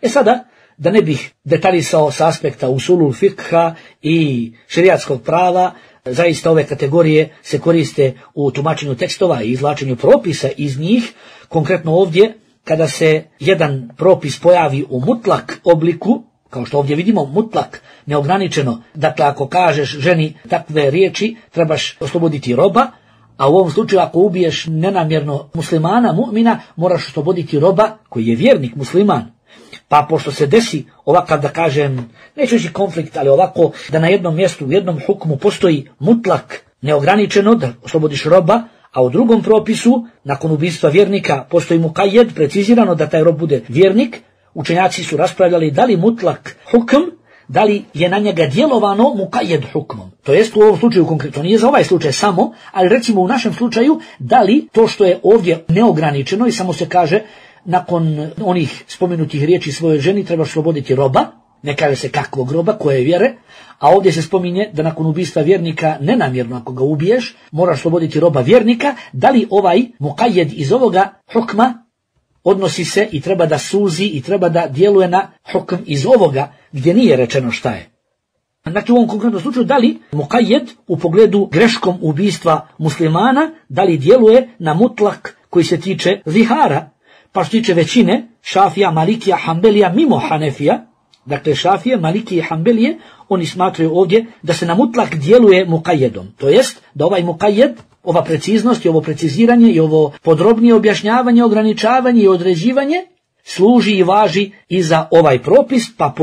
A: Sada, da ne bih detaljisao sa aspekta usulul fikha i šerijatskog prava, zaista ove kategorije se koriste u tumačenju tekstova i izvlačenju propisa iz njih. Konkretno ovdje, kada se jedan propis pojavi u mutlak obliku, kao što ovdje vidimo, mutlak, neograničeno, dakle ako kažeš ženi takve riječi, trebaš osloboditi roba, a u ovom slučaju ako ubiješ nenamjerno muslimana, mu'mina, moraš osloboditi roba koji je vjernik musliman. Pa pošto se desi ovakav, da kažem, neću reći konflikt, ali ovako da na jednom mjestu, u jednom hukmu postoji mutlak neograničeno, da oslobodiš roba, a u drugom propisu, nakon ubistva vjernika, postoji mukajed, precizirano da taj rob bude vjernik, učenjaci su raspravljali da li mutlak hukm, da li je na njega djelovano mukajed hukmom. To jest u ovom slučaju konkretno, nije za ovaj slučaj samo, ali recimo u našem slučaju, da li to što je ovdje neograničeno i samo se kaže nakon onih spomenutih riječi svojoj ženi treba osloboditi roba, ne kaže se kakvog roba, koje vjere, a ovdje se spominje da nakon ubistva vjernika nenamjerno ako ga ubiješ, moraš osloboditi roba vjernika, da li ovaj mukajed iz ovoga hukma odnosi se i treba da suzi i treba da djeluje na hukm iz ovoga gdje nije rečeno šta je. Znači u ovom konkretnom slučaju da li mukajed u pogledu greškom ubistva muslimana, da li djeluje na mutlak koji se tiče zihara, pa što tiče većine, Šafija, Malikija, Hanbelija mimo Hanefija, dakle Šafije, Malikije i Hanbelije, oni smatraju ovdje da se na mutlak djeluje mukajedom. To jest da ovaj mukajed, ova preciznost i ovo preciziranje i ovo podrobnije objašnjavanje, ograničavanje i određivanje služi i važi i za ovaj propis, pa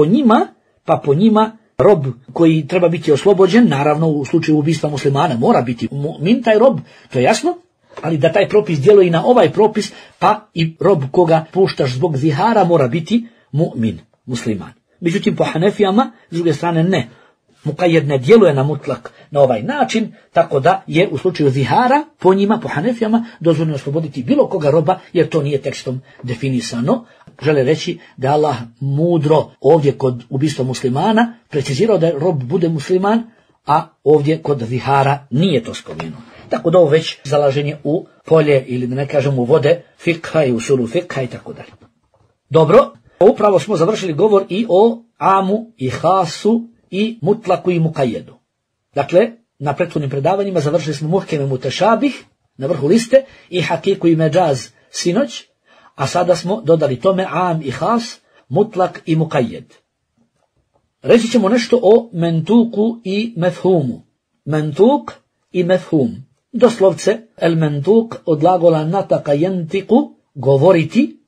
A: po njima rob koji treba biti oslobođen, naravno u slučaju ubistva muslimana mora biti mu'min taj rob, to je jasno, ali da taj propis djeluje i na ovaj propis, pa i rob koga puštaš zbog zihara mora biti mu'min, musliman. Međutim, po Hanefijama, s druge strane, ne. Mukajed ne djeluje na mutlak na ovaj način, tako da je u slučaju zihara, po njima, po Hanefijama, dozvoljeno osloboditi bilo koga roba, jer to nije tekstom definisano. Žele reći da Allah mudro ovdje kod ubistva muslimana precizirao da rob bude musliman, a ovdje kod zihara nije to spomenuo. Tako da ovo već zalaženje u polje, ili da ne kažem u vode, fikha i usulu fikha i tako dalje. Dobro, upravo smo završili govor i o amu i hasu i mutlaku i mukajedu. Dakle, na prethodnim predavanjima završili smo muhkeme mutešabih na vrhu liste i hakiku i međaz sinoć, a sada smo dodali tome am i has, mutlak i mukajed. Reći ćemo nešto o mentuku i mefhumu. Mentuk i mefhum. Doslovce, el mentuk od glagola nataka jentiku, govoriti,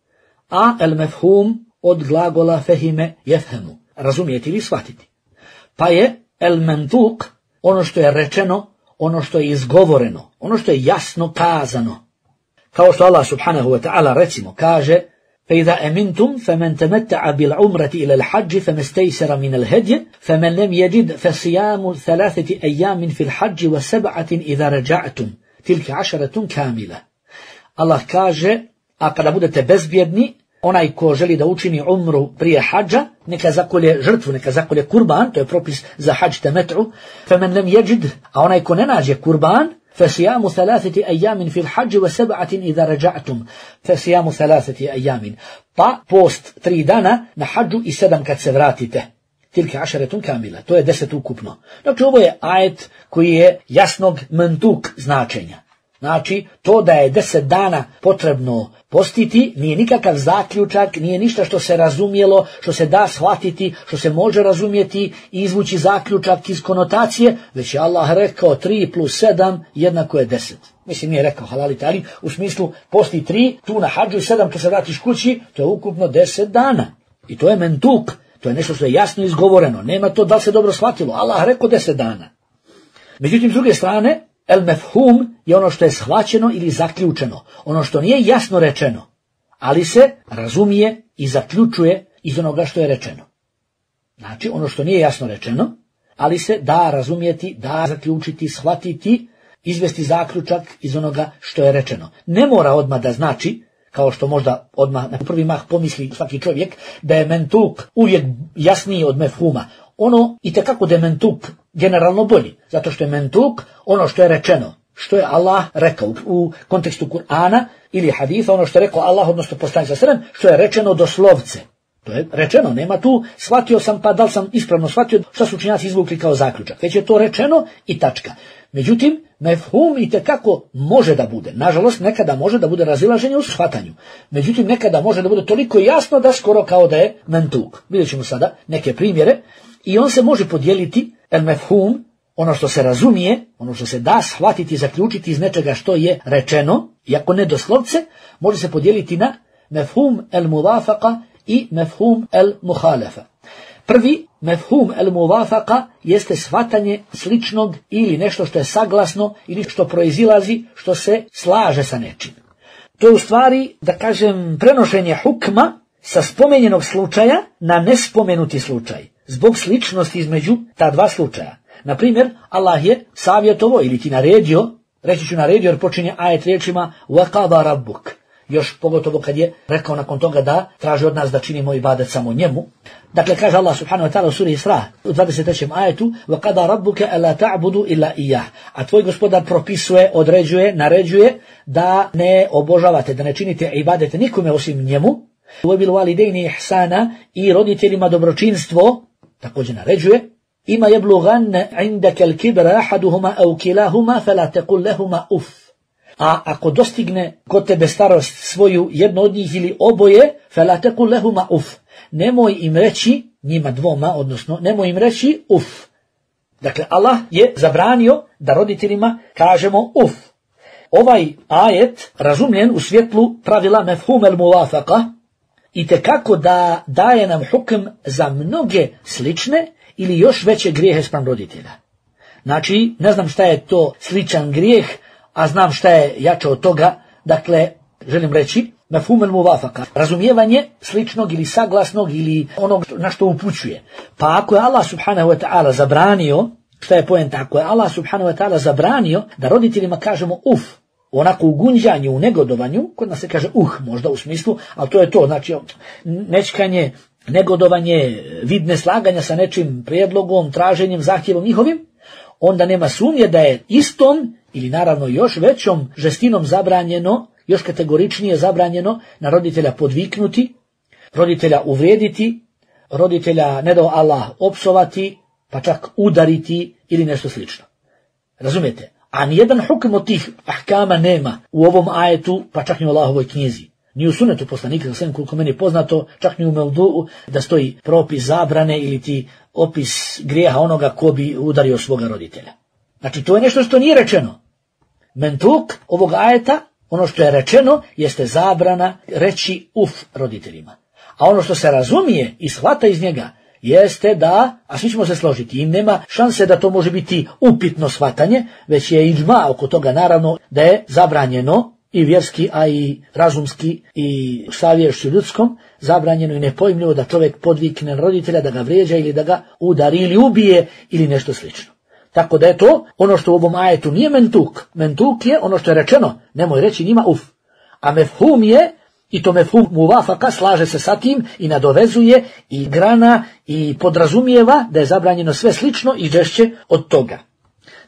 A: a el mefhum od glagola fehime jefhemu, razumijeti ili shvatiti. Pa je el mentuk ono što je rečeno, ono što je izgovoreno, ono što je jasno kazano. Kao što Allah subhanahu wa ta'ala recimo kaže فَإِذَا أَمِنْتُمْ فَمَنْ تَمَتَّعَ بِالْعُمْرَةِ إِلَى الْحَجِّ فَمَا اسْتَيْسَرَ مِنَ الْهَدْيِ فَمَنْ لَمْ يَجِدْ فَصِيَامُ 3 أَيَّامٍ فِي الْحَجِّ و7 إِذَا رَجَعْتُمْ تِلْكَ 10 كَامِلَةٌ. Allah kaže, a kada budete bezbjedni, onaj ko želi da učini umru prije hadža, neka zakolje žrtvu, neka zakolje kurban, to je propis za hadž temet'u, فَمَنْ لَمْ يَجِدْ, a onaj ko ne nađe kurban, فَصِيَامُ 3 أَيَّامٍ فِي الْحَجِّ و7 إِذَا رَجَعْتُمْ فَصِيَامُ 3 أَيَّامٍ, pa post 3 dana na hadžu i 7 kad se vratite. Tilke 10 kamila, to je 10 ukupno. Znači ovo je ajet koji je jasnog mentuk značenja. Znači, to da je 10 dana potrebno postiti nije nikakav zaključak, nije ništa što se razumjelo, što se da shvatiti, što se može razumjeti i izvući zaključak iz konotacije, već je Allah rekao 3 plus 7 jednako je 10. Mislim, nije rekao halalite, ali u smislu posti 3, tu na hadžu i 7 kad se vratiš kući, to je ukupno 10 dana. I to je mentuk, to je nešto što je jasno izgovoreno, nema to da li se dobro shvatilo, Allah rekao 10 dana. Međutim, s druge strane, el mefhum je ono što je shvaćeno ili zaključeno, ono što nije jasno rečeno, ali se razumije i zaključuje iz onoga što je rečeno. Znači, ono što nije jasno rečeno, ali se da razumjeti, da zaključiti, shvatiti, izvesti zaključak iz onoga što je rečeno. Ne mora odmah da znači, kao što možda odmah na prvi mah pomisli svaki čovjek, da je mentuk uvijek jasniji od mefhuma. Ono itekako da je mentuk generalno bolji, zato što je mentuk ono što je rečeno, što je Allah rekao u kontekstu Kur'ana ili haditha, ono što je rekao Allah, odnosno poslanik sallallahu alejhi ve sellem, što je rečeno doslovce. To je rečeno, nema tu shvatio sam pa da li sam ispravno shvatio šta su učenjaci izvukli kao zaključak, već je to rečeno i tačka. Međutim, mefhum itekako može da bude, nažalost nekada može da bude razilaženje u shvatanju, međutim nekada može da bude toliko jasno da skoro kao da je mentuk. Vidjet ćemo sada neke primjere i on se može podijeliti, el mefhum, ono što se razumije, ono što se da shvatiti i zaključiti iz nečega što je rečeno, iako ne doslovce, može se podijeliti na mefhum el muvafaqa i mefhum el muhalefa. Prvi, mefhum el muvafaka, jeste shvatanje sličnog ili nešto što je saglasno ili što proizilazi, što se slaže sa nečim. To je u stvari, da kažem, prenošenje hukma sa spomenjenog slučaja na nespomenuti slučaj, zbog sličnosti između ta dva slučaja. Na primjer, Allah je savjetovao ili ti naredio, reći ću naredio jer počinje ajet riječima وَقَضَى رَبُّكَ. Još pogotovo kad je rekao nakon toga da traži od nas da činimo ibadet samo njemu. Dakle, kaže Allah subhanahu wa ta'ala u suri Isra u 23. ajetu وَقَضَى رَبُّكَ أَلَا تَعْبُدُوا إِلَّا إِيَّهُ. A tvoj gospodar propisuje, određuje, naređuje da ne obožavate, da ne činite ibadete nikome osim njemu. وَبِالْوَالِدَيْنِ إِحْسَانًا. I roditeljima dobročinstvo također naređuje. Ima yablughanna indaka al-kibra ahaduhuma aw kilahuma fala taqul lahumā uff. A ako dostigne kod tebe starost svoju jedno od njih ili oboje, fala taqul lahumā uff. Nemoj im reći, njima dvoma, odnosno nemoj im reći uff. Dakle, Allah je zabranio da roditeljima kažemo uff. Ovaj ajet razumljen u svjetlu pravila mefhum al-muwafaqa i tekako da daje nam hukm za mnoge slične ili još veće grijehe spram roditelja. Znači, ne znam šta je to sličan grijeh, a znam šta je jače od toga. Dakle, želim reći, mefhum al-muwafaqa, razumijevanje sličnog ili saglasnog ili onog na što upućuje. Pa ako je Allah subhanahu wa ta'ala zabranio, šta je poenta? Ako je Allah subhanahu wa ta'ala zabranio da roditeljima kažemo uf, onako u gunđanju, u negodovanju, kod nas se kaže možda u smislu, ali to je to, znači nečkanje, negodovanje, vid neslaganja sa nečim prijedlogom, traženjem, zahtjevom njihovim, onda nema sumnje da je istom ili naravno još većom žestinom zabranjeno, još kategoričnije zabranjeno na roditelja podviknuti, roditelja uvrijediti, roditelja ne dao Allah opsovati, pa čak udariti ili nešto slično. Razumijete? A nijedan hukm od tih ahkama nema u ovom ajetu, pa čak ni u Allahovoj knjizi. Ni u sunetu poslanika, sve koliko meni je poznato, čak ni u Mevdu'u, da stoji propis zabrane ili ti opis grijeha onoga ko bi udario svoga roditelja. Znači, to je nešto što nije rečeno. Mentuk ovog ajeta, ono što je rečeno, jeste zabrana reći uf roditeljima. A ono što se razumije i shvata iz njega, jeste da, a svi ćemo se složiti, i nema šanse da to može biti upitno shvatanje, već je iđma oko toga naravno da je zabranjeno i vjerski, a i razumski i savješću ljudskom, zabranjeno i nepojmljivo da čovjek podvikne roditelja, da ga vrijeđa ili da ga udari ili ubije ili nešto slično. Tako da je to ono što u ovom ajetu nije mentuk. Mentuk je ono što je rečeno, nemoj reći njima uf. A mefhum je, i to mefhum muvafaka, slaže se sa tim i nadovezuje i grana i podrazumijeva da je zabranjeno sve slično i žešće od toga.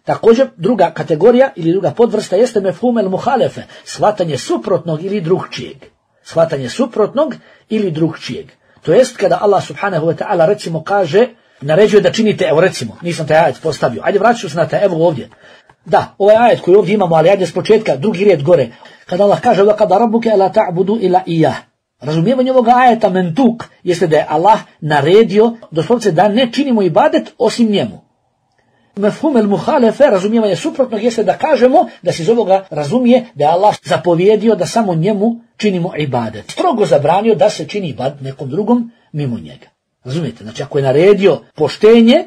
A: Također druga kategorija ili druga podvrsta jeste mefhum el muhalefe, shvatanje suprotnog ili drugčijeg. Shvatanje suprotnog ili drugčijeg. To jest kada Allah subhanahu wa ta'ala recimo kaže, naređuje da činite, evo recimo, nisam taj ajet postavio, ajde vraću se na taj, evo ovdje. Da, ovaj ajet koji ovdje imamo, ali ajde s početka, drugi red gore. Kada Allah kaže, وَقَضَى رَبُّكَ أَلَا تَعْبُدُوا إِلَّا إِيَّهُ. Razumijevanje ovoga ajeta mentuk jeste da je Allah naredio, doslovce da ne činimo ibadet osim njemu. Mefhum el muhalefe, razumijevanje suprotnog, jeste da kažemo, da se iz ovoga razumije da je Allah zapovjedio da samo njemu činimo ibadet. Strogo zabranio da se čini ibadet nekom drugom mimo njega. Razumijete? Znači ako je naredio poštenje,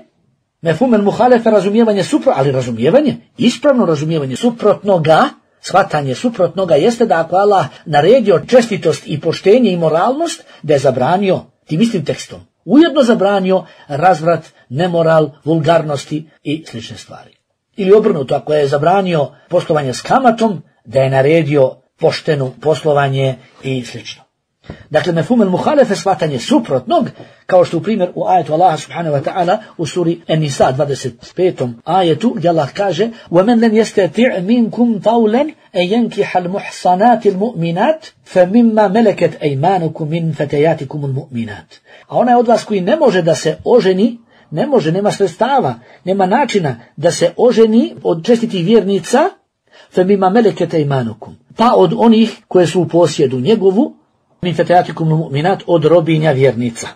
A: mefhum el muhalefe, razumijevanje suprotnog, ali razumijevanje, ispravno razumijevanje suprotnoga, shvatanje suprotnoga jeste da ako Allah naredio čestitost i poštenje i moralnost, da je zabranio tim istim tekstom. Ujedno zabranio razvrat, nemoral, vulgarnosti i slične stvari. Ili obrnuto, ako je zabranio poslovanje s kamatom, da je naredio poštenu poslovanje i slično. Dakle, mefhum el muhalefe, shvatanje suprotnog, kao što u primjer u ajetu Allaha subhanahu wa ta'ala u suri An-Nisa 25. ajetu, gdje Allah kaže وَمَنْ لَنْ يَسْتَطِعْ مِنْكُمْ طَوْلًا أَنْ يَنْكِحَ الْمُحْصَنَاتِ الْمُؤْمِنَاتِ فَمِمَّا مَلَكَتْ أَيْمَانُكُمْ مِنْ فَتَيَاتِكُمُ الْمُؤْمِنَاتِ. A onaj od vas koji ne može da se oženi, nema sredstava, nema načina da se oženi od čestitih vjernica, فَمِمَّا مَلَكَتْ أَيْمَانُكُمْ, pa od onih koje su u posjedu njegovu, min fetejatikum mu'minat, od robinja vjernica.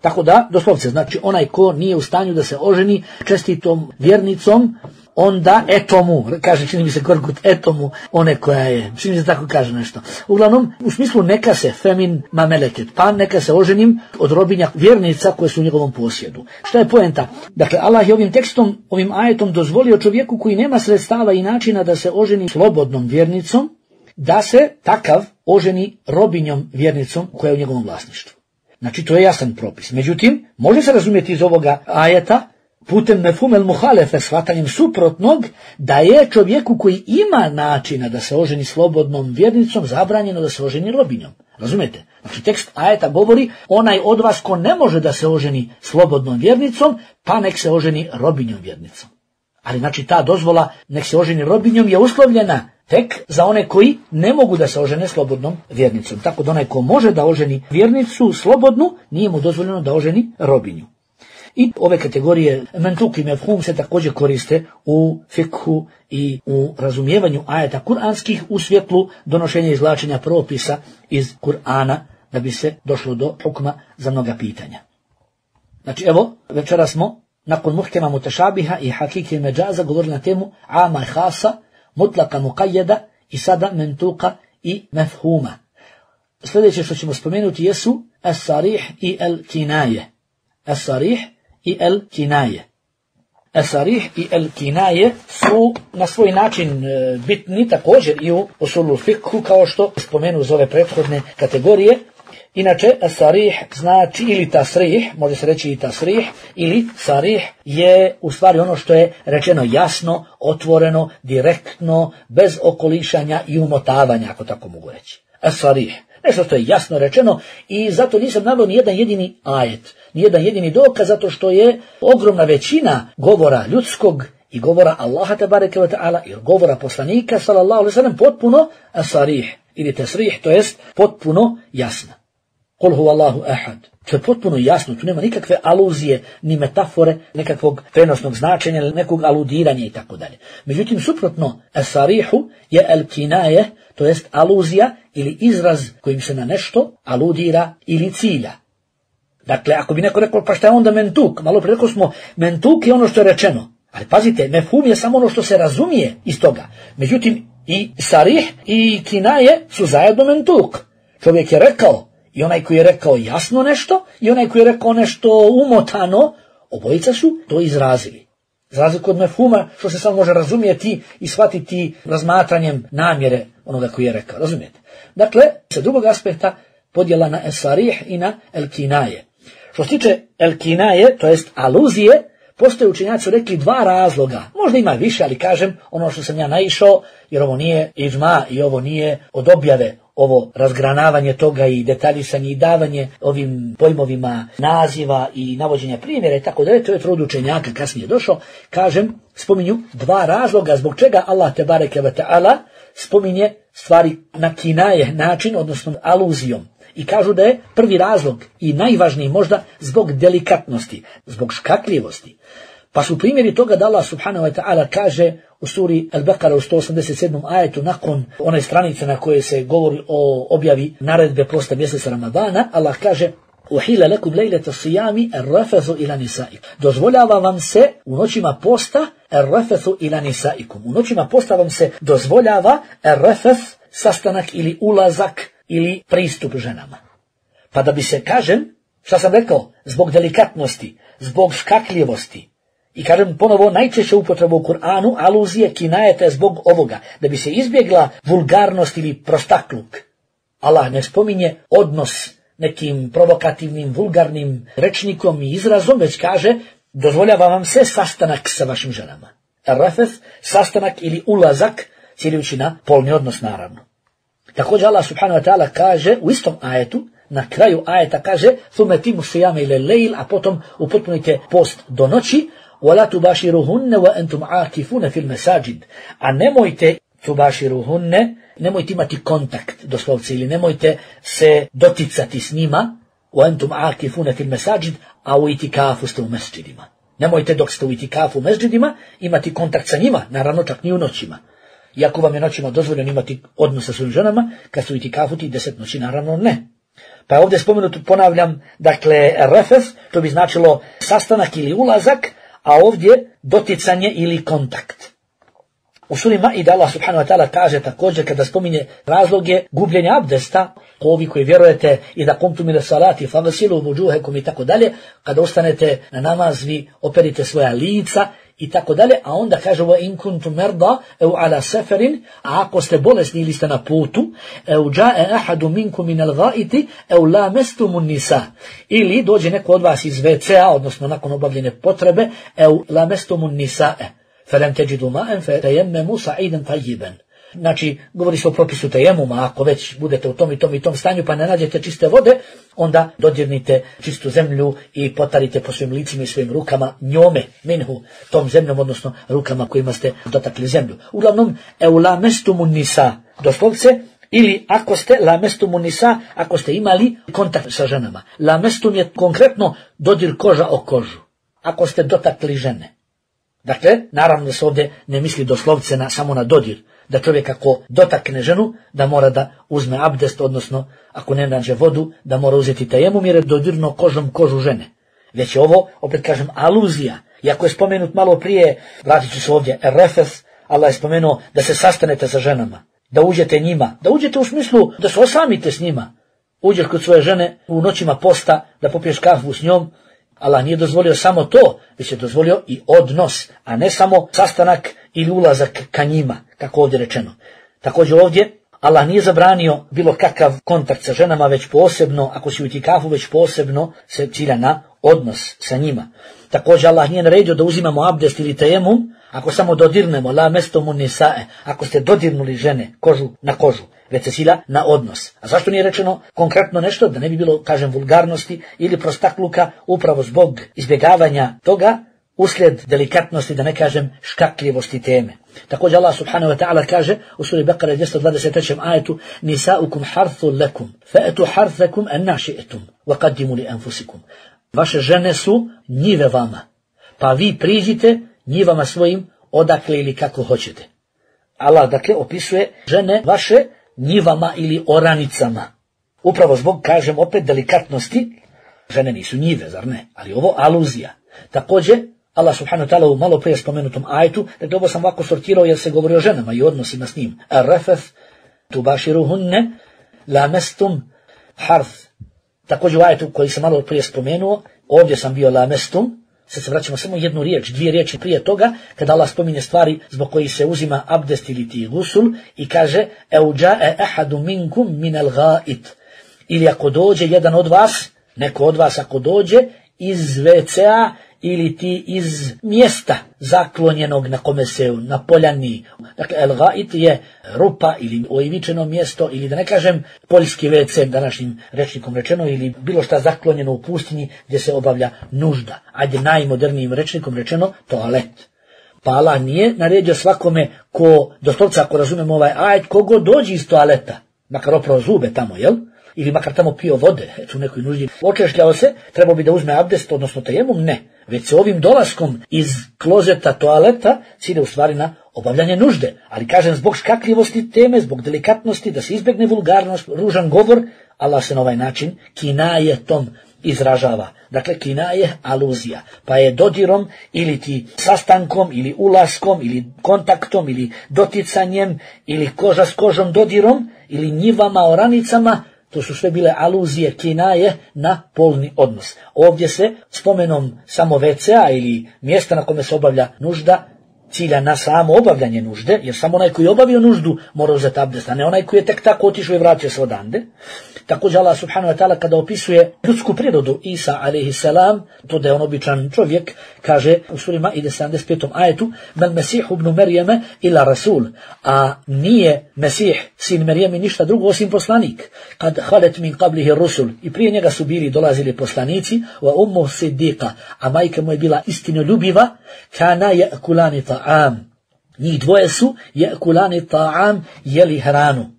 A: Tako da, doslovce, znači onaj ko nije u stanju da se oženi čestitom vjernicom, onda eto mu, kaže, čini mi se Korkut, eto mu one koja je, čini mi se tako kaže nešto. Uglavnom, u smislu neka se femin mameleket, pa neka se oženim od robinja vjernica koje su u njegovom posjedu. Šta je poenta? Dakle, Allah je ovim tekstom, ovim ajetom dozvolio čovjeku koji nema sredstava i načina da se oženi slobodnom vjernicom, da se takav oženi robinjom vjernicom koja je u njegovom vlasništvu. Znači, to je jasan propis. Međutim, može se razumjeti iz ovoga ajeta putem mefumel muhalefe, shvatanjem suprotnog, da je čovjeku koji ima načina da se oženi slobodnom vjernicom zabranjeno da se oženi robinjom. Razumijete? Znači, tekst ajeta govori onaj od vas ko ne može da se oženi slobodnom vjernicom, pa nek se oženi robinjom vjernicom. Ali znači ta dozvola nek se oženi robinjom je uslovljena tek za one koji ne mogu da se ožene slobodnom vjernicom. Tako da onaj ko može da oženi vjernicu slobodnu, nije mu dozvoljeno da oženi robinju. I ove kategorije mentuk i mefhum se također koriste u fikhu i u razumijevanju ajeta kuranskih u svjetlu donošenja i izvlačenja propisa iz Kur'ana da bi se došlo do hukma za mnoga pitanja. Znači evo, večera smo nakon muhkema mutešabiha i hakike međaza govorili na temu ama i hasa, mutlaka muqayyada i sada mentuka i mefhuma. Sljedeće što ćemo spomenuti jesu as-sarih i al-kinaje. As-sarih i al-kinaje. As-sarih i al-kinaje su na svoj način bitni također i u usulu fikhu kao što spomenu uz ove prethodne kategorije. Inače, as-sarih znači ili tasrih, može se reći i tasrih, ili sarih je u stvari ono što je rečeno jasno, otvoreno, direktno, bez okolišanja i umotavanja, ako tako mogu reći. As-sarih, nešto što je jasno rečeno i zato nisam naveo ni jedan jedini ajet, ni jedan jedini dokaz, zato što je ogromna većina govora ljudskog i govora Allaha tebareke ve ta'ala i govora poslanika sallallahu alejhi ve sellem potpuno as-sarih ili tasrih, to jest potpuno jasna. Kul huvallahu ahad. To je potpuno jasno, tu nema nikakve aluzije, ni metafore, nekakvog prenosnog značenja, nekog aludiranja i tako dalje. Međutim, suprotno, as-sarihu je al-kinaje, to jest aluzija ili izraz kojim se na nešto aludira ili cilja. Dakle, ako bi neko rekao, pa šta je onda mentuk? Malo prije rekao smo, mentuk je ono što je rečeno. Ali pazite, mefhum je samo ono što se razumije iz toga. Međutim, i sarih i kinaje su zajedno mentuk. Čovjek je rekao, i onaj koji je rekao jasno nešto, i onaj koji je rekao nešto umotano, obojica su to izrazili. Za razliku od mefhuma, što se samo može razumjeti i shvatiti razmatranjem namjere onoga koji je rekao. Razumijete? Dakle, sa drugog aspekta podjela na es-sarih i na el-kinaje. Što se tiče el-kinaje, to jest aluzije, postoje učenjaci rekli dva razloga. Možda ima više, ali kažem ono što sam ja naišao, jer ovo nije iđma i ovo nije od objave, ovo razgranavanje toga i detaljisanje i davanje ovim pojmovima naziva i navođenja primjera i tako dalje, to je trud učenjaka kasnije došao, kažem, spominju dva razloga zbog čega Allah tebareke ve ta'ala spominje stvari na kinaje način, odnosno aluzijom. I kažu da je prvi razlog i najvažniji možda zbog delikatnosti, zbog škakljivosti. Pa su primjeri toga da Allah subhanahu wa ta'ala kaže u suri Al-Baqara u 187. ajetu nakon one stranice na koje se govori o objavi naredbe prosta mjeseca Ramadana, Allah kaže uhila lakum lejleta sijami ar-rafathu ila nisaikum. Dozvoljava vam se u noćima posta ar-rafathu ila nisaikum. U noćima posta vam se dozvoljava ar-rafath, sastanak ili ulazak ili pristup ženama. Pa da bi se, kažem, šta sam rekao, zbog delikatnosti, zbog škakljivosti, i kažem ponovo najčešće upotrebu u Kur'anu, aluzije, kinajete zbog ovoga, da bi se izbjegla vulgarnost ili prostakluk. Allah ne spominje odnos nekim provokativnim, vulgarnim rečnikom i izrazom, već kaže, dozvoljava vam se sastanak sa vašim ženama. Ar-rafath, sastanak ili ulazak, ciljujući na polni odnos naravno. Također Allah subhanahu wa ta'ala kaže u istom ajetu, na kraju ajeta kaže thumme timu sijame ile lejl, a potom upotpunite post do noći, وَلَا تُبَاشِرُهُنَّ وَأَنْتُمْ عَاكِفُونَ فِي الْمَسَاجِدِ. A nemojte tubaširuhunne, nemojte imati kontakt, doslovce, ili nemojte se doticati s njima, وَأَنْتُمْ عَاكِفُونَ فِي الْمَسَاجِدِ, a u itikafu ste u mesdžidima. Nemojte dok ste u itikafu u mesdžidima imati kontakt sa njima, naravno čak ni u noćima. Iako vam je noćima dozvoljeno imati odnos sa svojim ženama, kad ste u itikafu ti 10 noći, naravno ne. Pa je ovdje spomenuto, ponavljam, dakle, refes, to bi značilo sastanak ili ulazak, a ovdje doticanje ili kontakt. U suri Maida Allah subhanahu wa ta'ala kaže također kada spominje razloge gubljenja abdesta, ovi koji vjerujete i da kumtum ila salati fagsilu vujuhakum i tako dalje, kada ostanete na namaz vi operite svoja lica i tako dalje, a onda kaže wa in kuntum marda aw ala safarin, a ako ste bolesni ili ste na putu, aw jaa ahadun minkum min al-gha'iti aw lamastumun nisa, ili dođe neko od vas iz WC-a, odnosno nakon obavljene potrebe, aw lamastumun nisaa فَلَمْ تَجِدُوا مَاءً فَتَيَمَّمُوا صَعِيدًا طَيِّبًا. Znači, govori se o propisu tejemuma, ako već budete u tom stanju pa ne nađete čiste vode, onda dodirnite čistu zemlju i potarite po svojim licima i svojim rukama njome, minhu, tom zemljom, odnosno rukama kojima ste dotakli zemlju. Uglavnom, eulamestumun nisa, doslovce, ili ako ste lamestumun nisa, ako ste imali kontakt sa ženama. Lamestum je konkretno dodir koža o kožu, ako ste dotakli žene. Dakle, naravno da se ovdje ne misli doslovce samo na dodir, da čovjek ako dotakne ženu, da mora da uzme abdest, odnosno ako ne nađe vodu, da mora uzeti tejemum jer je dodirno kožom kožu žene. Već je ovo, opet kažem, aluzija. Iako je spomenut malo prije, vratit ću se ovdje, refes, Allah je spomenuo da se sastanete sa ženama, da uđete njima, da uđete u smislu da se osamite s njima. Uđeš kod svoje žene u noćima posta, da popiješ kafu s njom. Allah nije dozvolio samo to, već je dozvolio i odnos, a ne samo sastanak ili ulazak ka njima, kako ovdje rečeno. Također ovdje Allah nije zabranio bilo kakav kontakt sa ženama, već posebno, ako si u itikafu, već posebno se cilja na odnos sa njima. Također Allah nije naredio da uzimamo abdest ili tejemum, ako samo dodirnemo, la mestumun nisae, ako ste dodirnuli žene kožu na kožu, već se cilja na odnos. A zašto nije rečeno konkretno nešto, da ne bi bilo, kažem, vulgarnosti ili prostakluka, upravo zbog izbjegavanja toga, uslijed delikatnosti, da ne kažem škakljivosti teme. Također Allah subhanahu wa ta'ala kaže u suri Bekara 223. ajetu: Nisaukum harthun lakum, fa'atu harthakum anna shi'tum, wa qaddimu li anfusikum. Vaše žene su njive vama, pa vi priđite njivama svojim odakle ili kako hoćete. Allah dakle opisuje žene vaše njivama ili oranicama. Upravo zbog, kažem opet, delikatnosti, žene nisu njive, zar ne? Ali ovo aluzija. Također Allah subhanahu wa ta'ala u malo prije spomenutom ajetu, dakle ovo sam ovako sortirao jer se govori o ženama i odnosima s njim. Ar-rafaf tubashiruhunne lamestum harth. Također u ajetu koji sam malo prije spomenuo, ovdje sam bio lamestum, sad se vraćamo samo jednu riječ, dvije riječi prije toga, kada Allah spominje stvari zbog kojih se uzima abdest ili ti gusul i kaže eu ja'e ahadu minkum minal ga'it. Ili ako dođe jedan od vas, neko od vas ako dođe iz WC-a ili ti iz mjesta zaklonjenog na kome se na poljani. Dakle, el-ga'it je rupa ili oivičeno mjesto ili da ne kažem poljski WC današnjim rečnikom rečeno ili bilo šta zaklonjeno u pustinji gdje se obavlja nužda. Ajde najmodernijim rečnikom rečeno toalet. Pa Allah nije naredio svakome ko, doslovca ako razumemo ovaj ajet, kogo dođi iz toaleta, makar oprao zube tamo, jel? Ili makar tamo pio vode, u nekoj nuždi, očešljao se, trebao bi da uzme abdest, odnosno tejemum, ne. Već se ovim dolaskom iz klozeta, toaleta, cilje u stvari na obavljanje nužde. Ali kažem, zbog škakljivosti teme, zbog delikatnosti, da se izbjegne vulgarnost, ružan govor, Allah se na ovaj način kinajetom izražava. Dakle, kinaje aluzija. Pa je dodirom ili ti sastankom ili ulaskom ili kontaktom ili doticanjem ili koža s kožom dodirom ili njivama, oranicama, to su sve bile aluzije, kinaje na polni odnos. Ovdje se spomenom samo WC-a ili mjesta na kome se obavlja nužda cilja na samo obavljanje nužde, jer samo onaj koji je obavio nuždu mora uzeti abdest, a ne onaj koji je tek tako otišao i vratio se odande. Također Allah subhanahu wa ta'ala kada opisuje ljudsku prirodu Isa a.s. to da je on običan čovjek, kaže u suri Maide 75. ajetu: Mal Mesihu ibn Merijeme ila Rasul, a nije Mesih sin Merijemi ništa drugo osim poslanik. Kad halet min qablihi rusul, i prije njega su bili dolazili poslanici, wa ummu siddiqa, a majka mu je bila istinoljubiva, kana ya'kulani ta'am. Njih dvoje su ya'kulani ta'am, jeli hranu.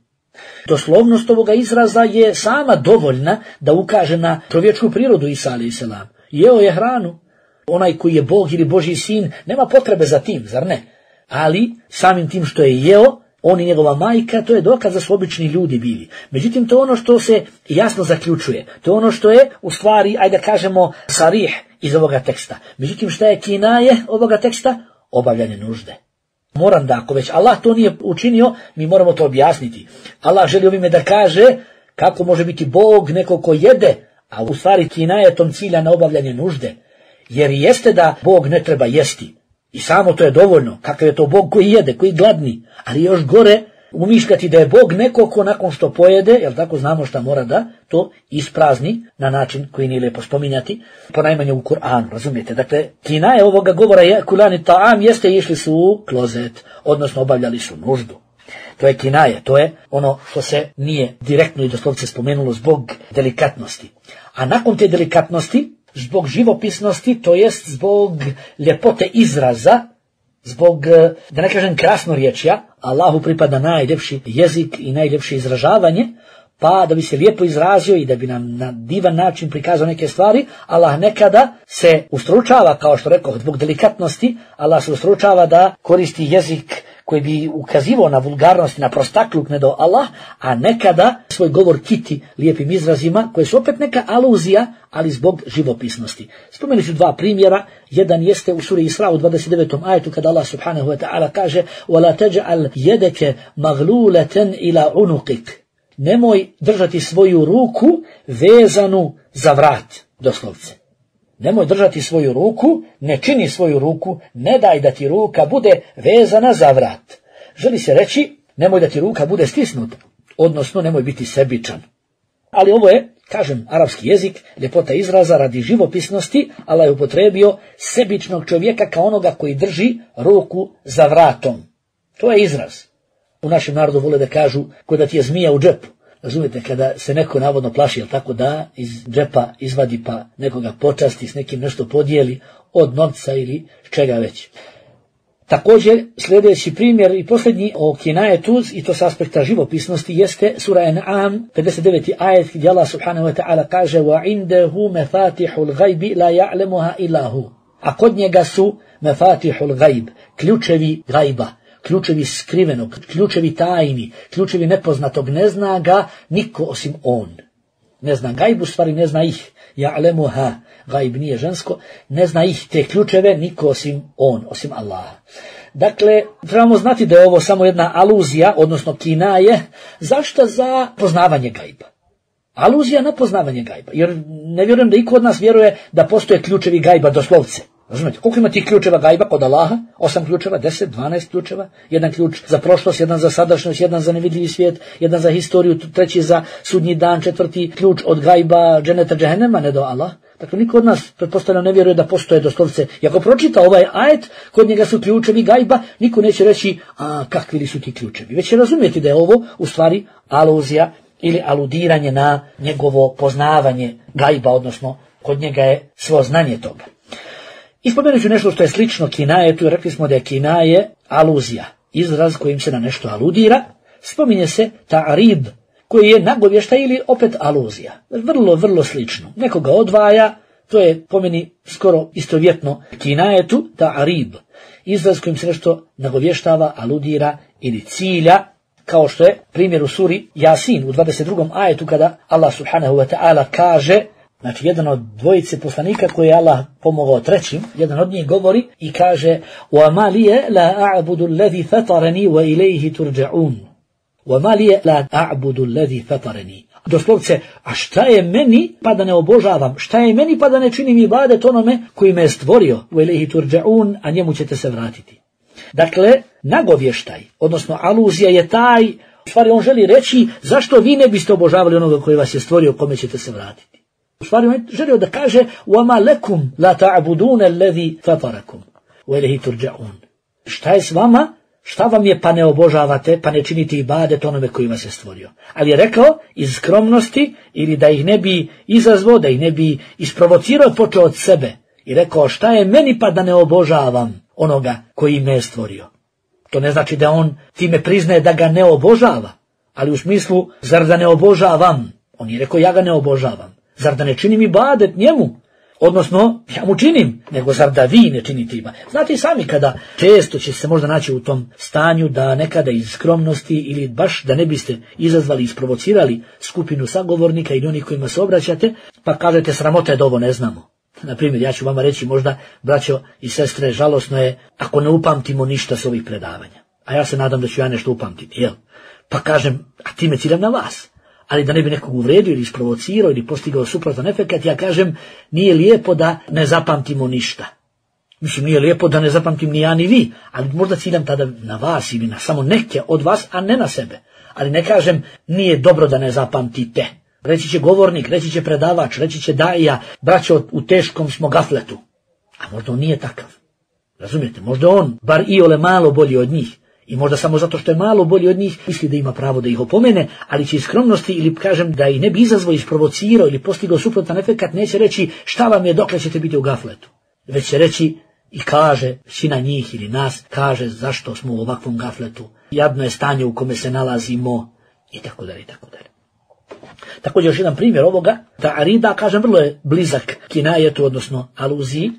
A: Doslovnost ovoga izraza je sama dovoljna da ukaže na čovječku prirodu Isa a.s. Jeo je hranu. Onaj koji je Bog ili Božji sin nema potrebe za tim, zar ne? Ali samim tim što je jeo, on i njegova majka, to je dokaz da su obični ljudi bili. Međutim, to je ono što se jasno zaključuje. To je ono što je, u stvari, ajde da kažemo, sarih iz ovoga teksta. Međutim, šta je kinaje ovoga teksta? Obavljanje nužde. Moram da, ako već Allah to nije učinio, mi moramo to objasniti. Allah želi ovime da kaže kako može biti Bog neko ko jede, a u stvari kinaje tom cilja na obavljanje nužde. Jer jeste da Bog ne treba jesti. I samo to je dovoljno. Kakav je to Bog koji jede, koji gladni. Ali još gore umišljati da je Bog neko ko nakon što pojede, jel tako, znamo šta mora da to isprazni na način koji nije lijepo spominjati, ponajmanje u Kur'anu, razumijete? Dakle, kinaje ovoga govora je kulani ta'am jeste išli su u klozet, odnosno obavljali su nuždu. To je kinaje, to je ono što se nije direktno i doslovce spomenulo zbog delikatnosti. A nakon te delikatnosti, zbog živopisnosti, to jest zbog ljepote izraza, zbog, da ne kažem krasnorječja, Allahu pripada najljepši jezik i najljepše izražavanje, pa da bi se lijepo izrazio i da bi nam na divan način prikazao neke stvari, Allah nekada se ustručava, kao što rekoh, zbog delikatnosti, Allah se ustručava da koristi jezik koji bi ukazivao na vulgarnost i na prostakluk ne do Allah, a nekada svoj govor kiti lijepim izrazima, koje su opet neka aluzija, ali zbog živopisnosti. Spomenuli ću dva primjera. Jedan jeste u suri Isra u 29. ajetu kada Allah subhanahu wa ta'ala kaže وَلَا تَجْعَلْ يَدَكَ مَغْلُولَةً إِلَى عُنُقِكَ. Nemoj držati svoju ruku vezanu za vrat, doslovce. Nemoj držati svoju ruku, ne čini svoju ruku, ne daj da ti ruka bude vezana za vrat. Želi se reći, nemoj da ti ruka bude stisnuta, odnosno nemoj biti sebičan. Ali ovo je, kažem, arapski jezik, ljepota izraza radi živopisnosti, Allah je upotrebio sebičnog čovjeka kao onoga koji drži ruku za vratom. To je izraz. U našem narodu vole da kažu ko da ti je zmija u džepu. Razumijete, kada se neko navodno plaši, jel tako, da iz džepa izvadi pa nekoga počasti, s nekim nešto podijeli od novca ili čega već. Također, sljedeći primjer i posljednji o kinajetu, i to s aspekta živopisnosti, jeste sura An'am, 59. ajet, gdje Allah subhanahu wa ta'ala kaže وَعِنْدَهُ مَفَاتِحُ الْغَيْبِ لَا يَعْلَمُهَا إِلَّا هُ. A kod njega su mefatihul gajb, ključevi gajba, ključevi skrivenog, ključevi tajni, ključevi nepoznatog, ne zna ga niko osim on. Ne zna gajbu, stvari ne zna ih. Ja'lemuha, gajb nije žensko, ne zna ih te ključeve niko osim on, osim Allaha. Dakle, trebamo znati da je ovo samo jedna aluzija, odnosno kinaje, zašto za poznavanje gajba? Aluzija na poznavanje gajba, jer ne vjerujem da iko od nas vjeruje da postoje ključevi gajba doslovce. Razumijete, koliko ima tih ključeva gajba kod Allaha? 8 ključeva, 10, 12 ključeva. Jedan ključ za prošlost, jedan za sadašnjost, jedan za nevidljivi svijet, jedan za historiju, treći za sudnji dan, četvrti ključ od gajba dženeta džehennema, ne do Allah. Dakle, niko od nas, pretpostavljam, ne vjeruje da postoje doslovce. I ako pročita ovaj ajet, kod njega su ključevi gajba, niko neće reći, kakvi li su ti ključevi. Već će razumjeti da je ovo, u stvari, aluzija ili aludiranje na njegovo poznavanje gajba, odnosno, kod njega je svo znanje toga. I spomenut ću nešto što je slično kinajetu, jer rekli smo da je kinaje aluzija, izraz kojim se na nešto aludira. Spominje se ta'rib, koji je nagovještaj ili opet aluzija. Vrlo, vrlo slično. Nekoga odvaja, to je po meni skoro istovjetno kinajetu, ta'rib, izraz kojim se nešto nagovještava, aludira ili cilja, kao što je primjer u suri Jasin u 22. ajetu kada Allah subhanahu wa ta'ala kaže, znači, jedan od dvojice poslanika koje je Allah pomogao trećim, jedan od njih govori i kaže وَمَا لِيَ لَا أَعْبُدُ الَّذِي فَطَرَنِي وَإِلَيْهِ تُرْجَعُونَ وَمَا لِيَ لَا أَعْبُدُ الَّذِي فَطَرَنِي. Doslovce, a šta je meni pa da ne obožavam, šta je meni pa da ne činim ibadet onome koji me je stvorio, وَإِلَيْهِ تُرْجَعُونَ, a njemu ćete se vratiti. Dakle, nagovještaj, odnosno aluzija je taj, u stvari on želi reći zašto vi ne biste obožavali onoga koji vas je stvorio, kome ćete se vratiti. U stvari on želio da kaže وَمَا لَكُمْ لَا تَعْبُدُونَ الَّذِي فَطَرَكُمْ وَإِلَيْهِ تُرْجَعُونَ. Šta je s vama? Šta vam je pa ne obožavate, pa ne činite ibadet onome koji vas je stvorio? Ali je rekao iz skromnosti ili da ih ne bi izazvao, da ih ne bi isprovocirao, počeo od sebe. I rekao šta je meni pa da ne obožavam onoga koji me je stvorio. To ne znači da on time priznaje da ga ne obožava, ali u smislu zar da ne obožavam? On je rekao ja ga ne obožavam. Zar da ne činim ibadet njemu? Odnosno, ja mu činim, nego zar da vi ne činite ima. Znate i sami kada često će se možda naći u tom stanju da nekada iz skromnosti ili baš da ne biste izazvali, isprovocirali skupinu sagovornika ili onih kojima se obraćate, pa kažete sramota je da ovo ne znamo. Naprimjer, ja ću vama reći možda, braćo i sestre, žalosno je ako ne upamtimo ništa s ovih predavanja. A ja se nadam da ću ja nešto upamtiti, jel? Pa kažem, a time ciljam na vas. Ali da ne bi nekog uvredio ili isprovocirao ili postigao suprotan efekat, ja kažem, nije lijepo da ne zapamtimo ništa. Mislim, nije lijepo da ne zapamtim ni ja ni vi, ali možda ciljam tada na vas ili na samo neke od vas, a ne na sebe. Ali ne kažem, nije dobro da ne zapamtite. Reći će govornik, reći će predavač, reći će daija, braćo, u teškom smo gafletu. A možda on nije takav. Razumijete, možda on, bar iole malo bolji od njih. I možda samo zato što je malo bolji od njih, misli da ima pravo da ih opomene, ali će iz skromnosti ili kažem da ih ne bi izazvao, isprovocirao ili postigao suprotan efekat, neće reći šta vam je dokle ćete biti u gafletu. Već će reći i kaže, većina njih ili nas, kaže zašto smo u ovakvom gafletu, jadno je stanje u kome se nalazimo i tako dalje i tako dalje. Također još jedan primjer ovoga, ta'arida, kažem, vrlo je blizak kinajetu, odnosno aluziji.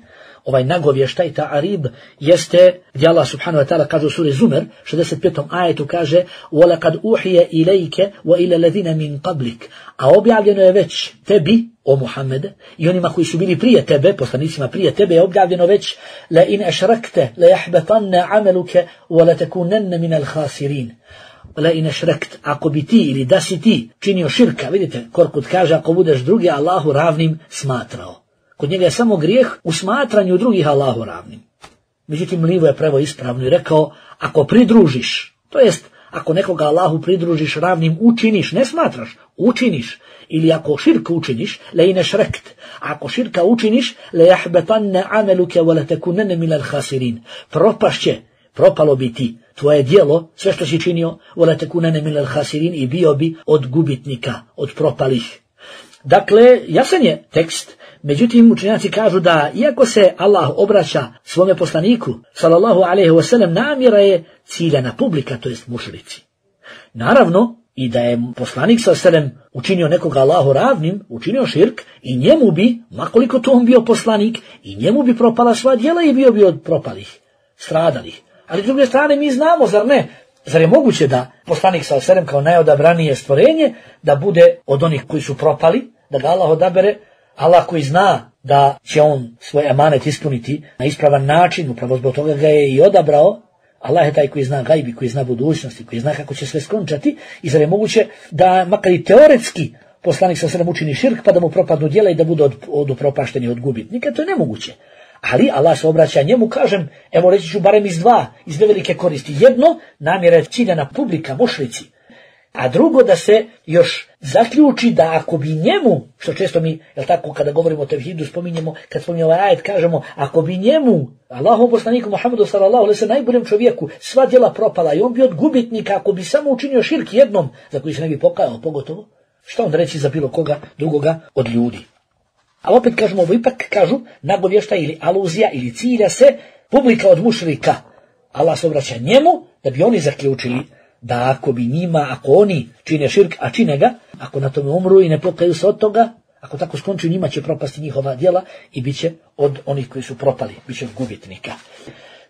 A: Ovaj nagovještaj, ta'arib, jeste gdje Allah subhanahu wa ta'ala kaže u suri Zumer, 65. ajetu kaže وَلَقَدْ أُوحِيَ إِلَيْكَ وَإِلَى الَّذِينَ مِنْ قَبْلِكَ. A objavljeno je već tebi, o Muhammede, i onima koji su bili prije tebe, poslanicima prije tebe, je objavljeno već لَإِنْ أَشْرَكْتَ لَيَحْبَطَنَّ عَمَلُكَ وَلَتَكُونَنَّ مِنَ الْخَاسِرِينَ. La inešrekt, ako bi ti ili da si ti činio širka, vidite, Korkut kaže, ako budeš drugi Allahu ravnim smatrao. Kod njega je samo grijeh u smatranju drugih Allahu ravnim. Međutim, Livo je preveo ispravno i rekao, ako pridružiš, to jest, ako nekoga Allahu pridružiš ravnim, učiniš, ne smatraš, učiniš, ili ako širka učiniš, la inešrekt, ako širka učiniš, la jahbetanne ameluke wa la tekunene minal khasirin, propalo bi ti tvoje djelo, sve što si činio, wala takunana minal khasirin, i bio bi od gubitnika, od propalih. Dakle, jasan je tekst, međutim učenjaci kažu da iako se Allah obraća svome poslaniku, sallallahu alejhi ve sellem, namjera je ciljana publika, to jest mušrici. Naravno, i da je poslanik sallallahu alejhi ve sellem učinio nekoga Allahu ravnim, učinio širk, i njemu bi, makoliko to on bio poslanik, i njemu bi propala sva djela i bio bi od propalih, stradalih. Ali s druge strane mi znamo, zar ne? Zar je moguće da poslanik sallallahu alejhi ve sellem kao najodabranije stvorenje da bude od onih koji su propali, da ga Allah odabere, Allah koji zna da će on svoj emanet ispuniti na ispravan način, upravo zbog toga ga je i odabrao. Allah je taj koji zna gajbi, koji zna budućnosti, koji zna kako će sve skončati, i zar je moguće da makar i teoretski poslanik sallallahu alejhi ve sellem učini širk pa da mu propadnu djela i da bude od upropašteni, od gubitnika? To je nemoguće. Ali Allah se obraća njemu, kažem, evo reći ću barem iz dve velike koristi. Jedno, namjera je ciljana publika, mušrici. A drugo, da se još zaključi da ako bi njemu, što često mi, jel tako, kada govorimo o tevhidu, spominjemo, kad spominjemo ovaj ajet, kažemo, ako bi njemu, Allahom poslaniku Muhammedu sallallahu alejhi ve sellem, najboljem čovjeku, sva djela propala i on bi od gubitnika, ako bi samo učinio širk jednom, za koji se ne bi pokajao, pogotovo, šta onda reći za bilo koga drugoga od ljudi? A opet kažemo, ovo ipak kažu nagovještaj ili aluzija ili cilja se publika od mušrika. Allah se obraća njemu da bi oni zaključili da ako bi njima, ako oni čine širk, a čine ga, ako na tome umru i ne pokaju se od toga, ako tako skonču, njima će propasti njihova djela i bit će od onih koji su propali, bit će od gubitnika.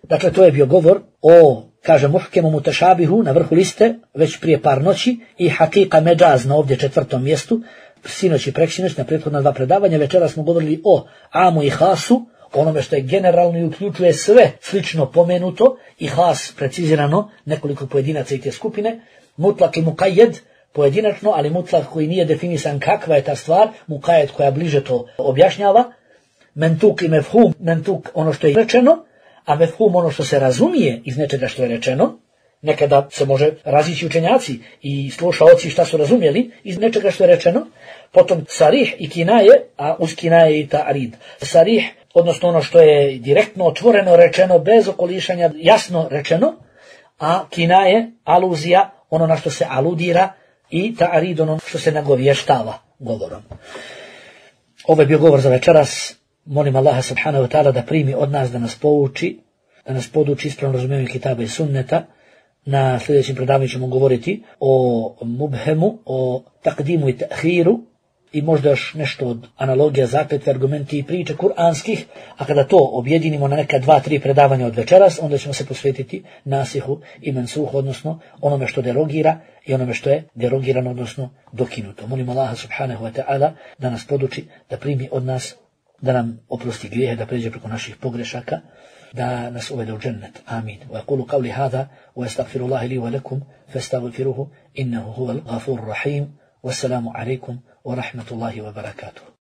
A: Dakle, to je bio govor o, kaže, muhkemu mutešabihu na vrhu liste, već prije par noći, i hakika međaz na ovdje 4. mjestu, sinoć i preksinoć na prethodna 2 predavanja. Večera smo govorili o amu i hasu, onome što je generalno i uključuje sve slično pomenuto, i has precizirano, nekoliko pojedinaca i te skupine, mutlak i mukajed, pojedinačno, ali mutlak koji nije definisan kakva je ta stvar, mukajed koja bliže to objašnjava, mentuk i mefhum, mentuk ono što je rečeno, a mefhum ono što se razumije iz nečega što je rečeno. Nekada se može razići učenjaci i slušaoci šta su razumjeli iz nečega što je rečeno. Potom sarih i kinaje, a uz kinaje i ta'rid. Sarih, odnosno ono što je direktno otvoreno rečeno, bez okolišanja, jasno rečeno, a kinaje, aluzija, ono na što se aludira, i ta'rid, ono što se nagovještava govorom. Ovo je bio govor za večeras. Molim Allaha subhanahu wa ta'ala da primi od nas, da nas pouči, da nas poduči ispravno razumijevanju kitaba i sunneta. Na sljedećem predavanju ćemo govoriti o mubhemu, o takdimu i ta'hiru, i možda još nešto od analogija, zakletve, argumenti i priče kuranskih, a kada to objedinimo na neka 2-3 predavanja od večeras, onda ćemo se posvetiti nasihu i mensuhu, odnosno onome što derogira i onome što je derogirano, odnosno dokinuto. Molim Allaha subhanahu wa ta'ala da nas poduči, da primi od nas, da nam oprosti grijehe, da pređe preko naših pogrešaka, da nas uvede u džennet. Amin. Wa aqulu qawli hadha wa astaghfirullaha li wa lakum fastaghfiruhu innahu huwal ghafurur rahim. Wassalamu alaikum wa rahmatullahi wa barakatuh.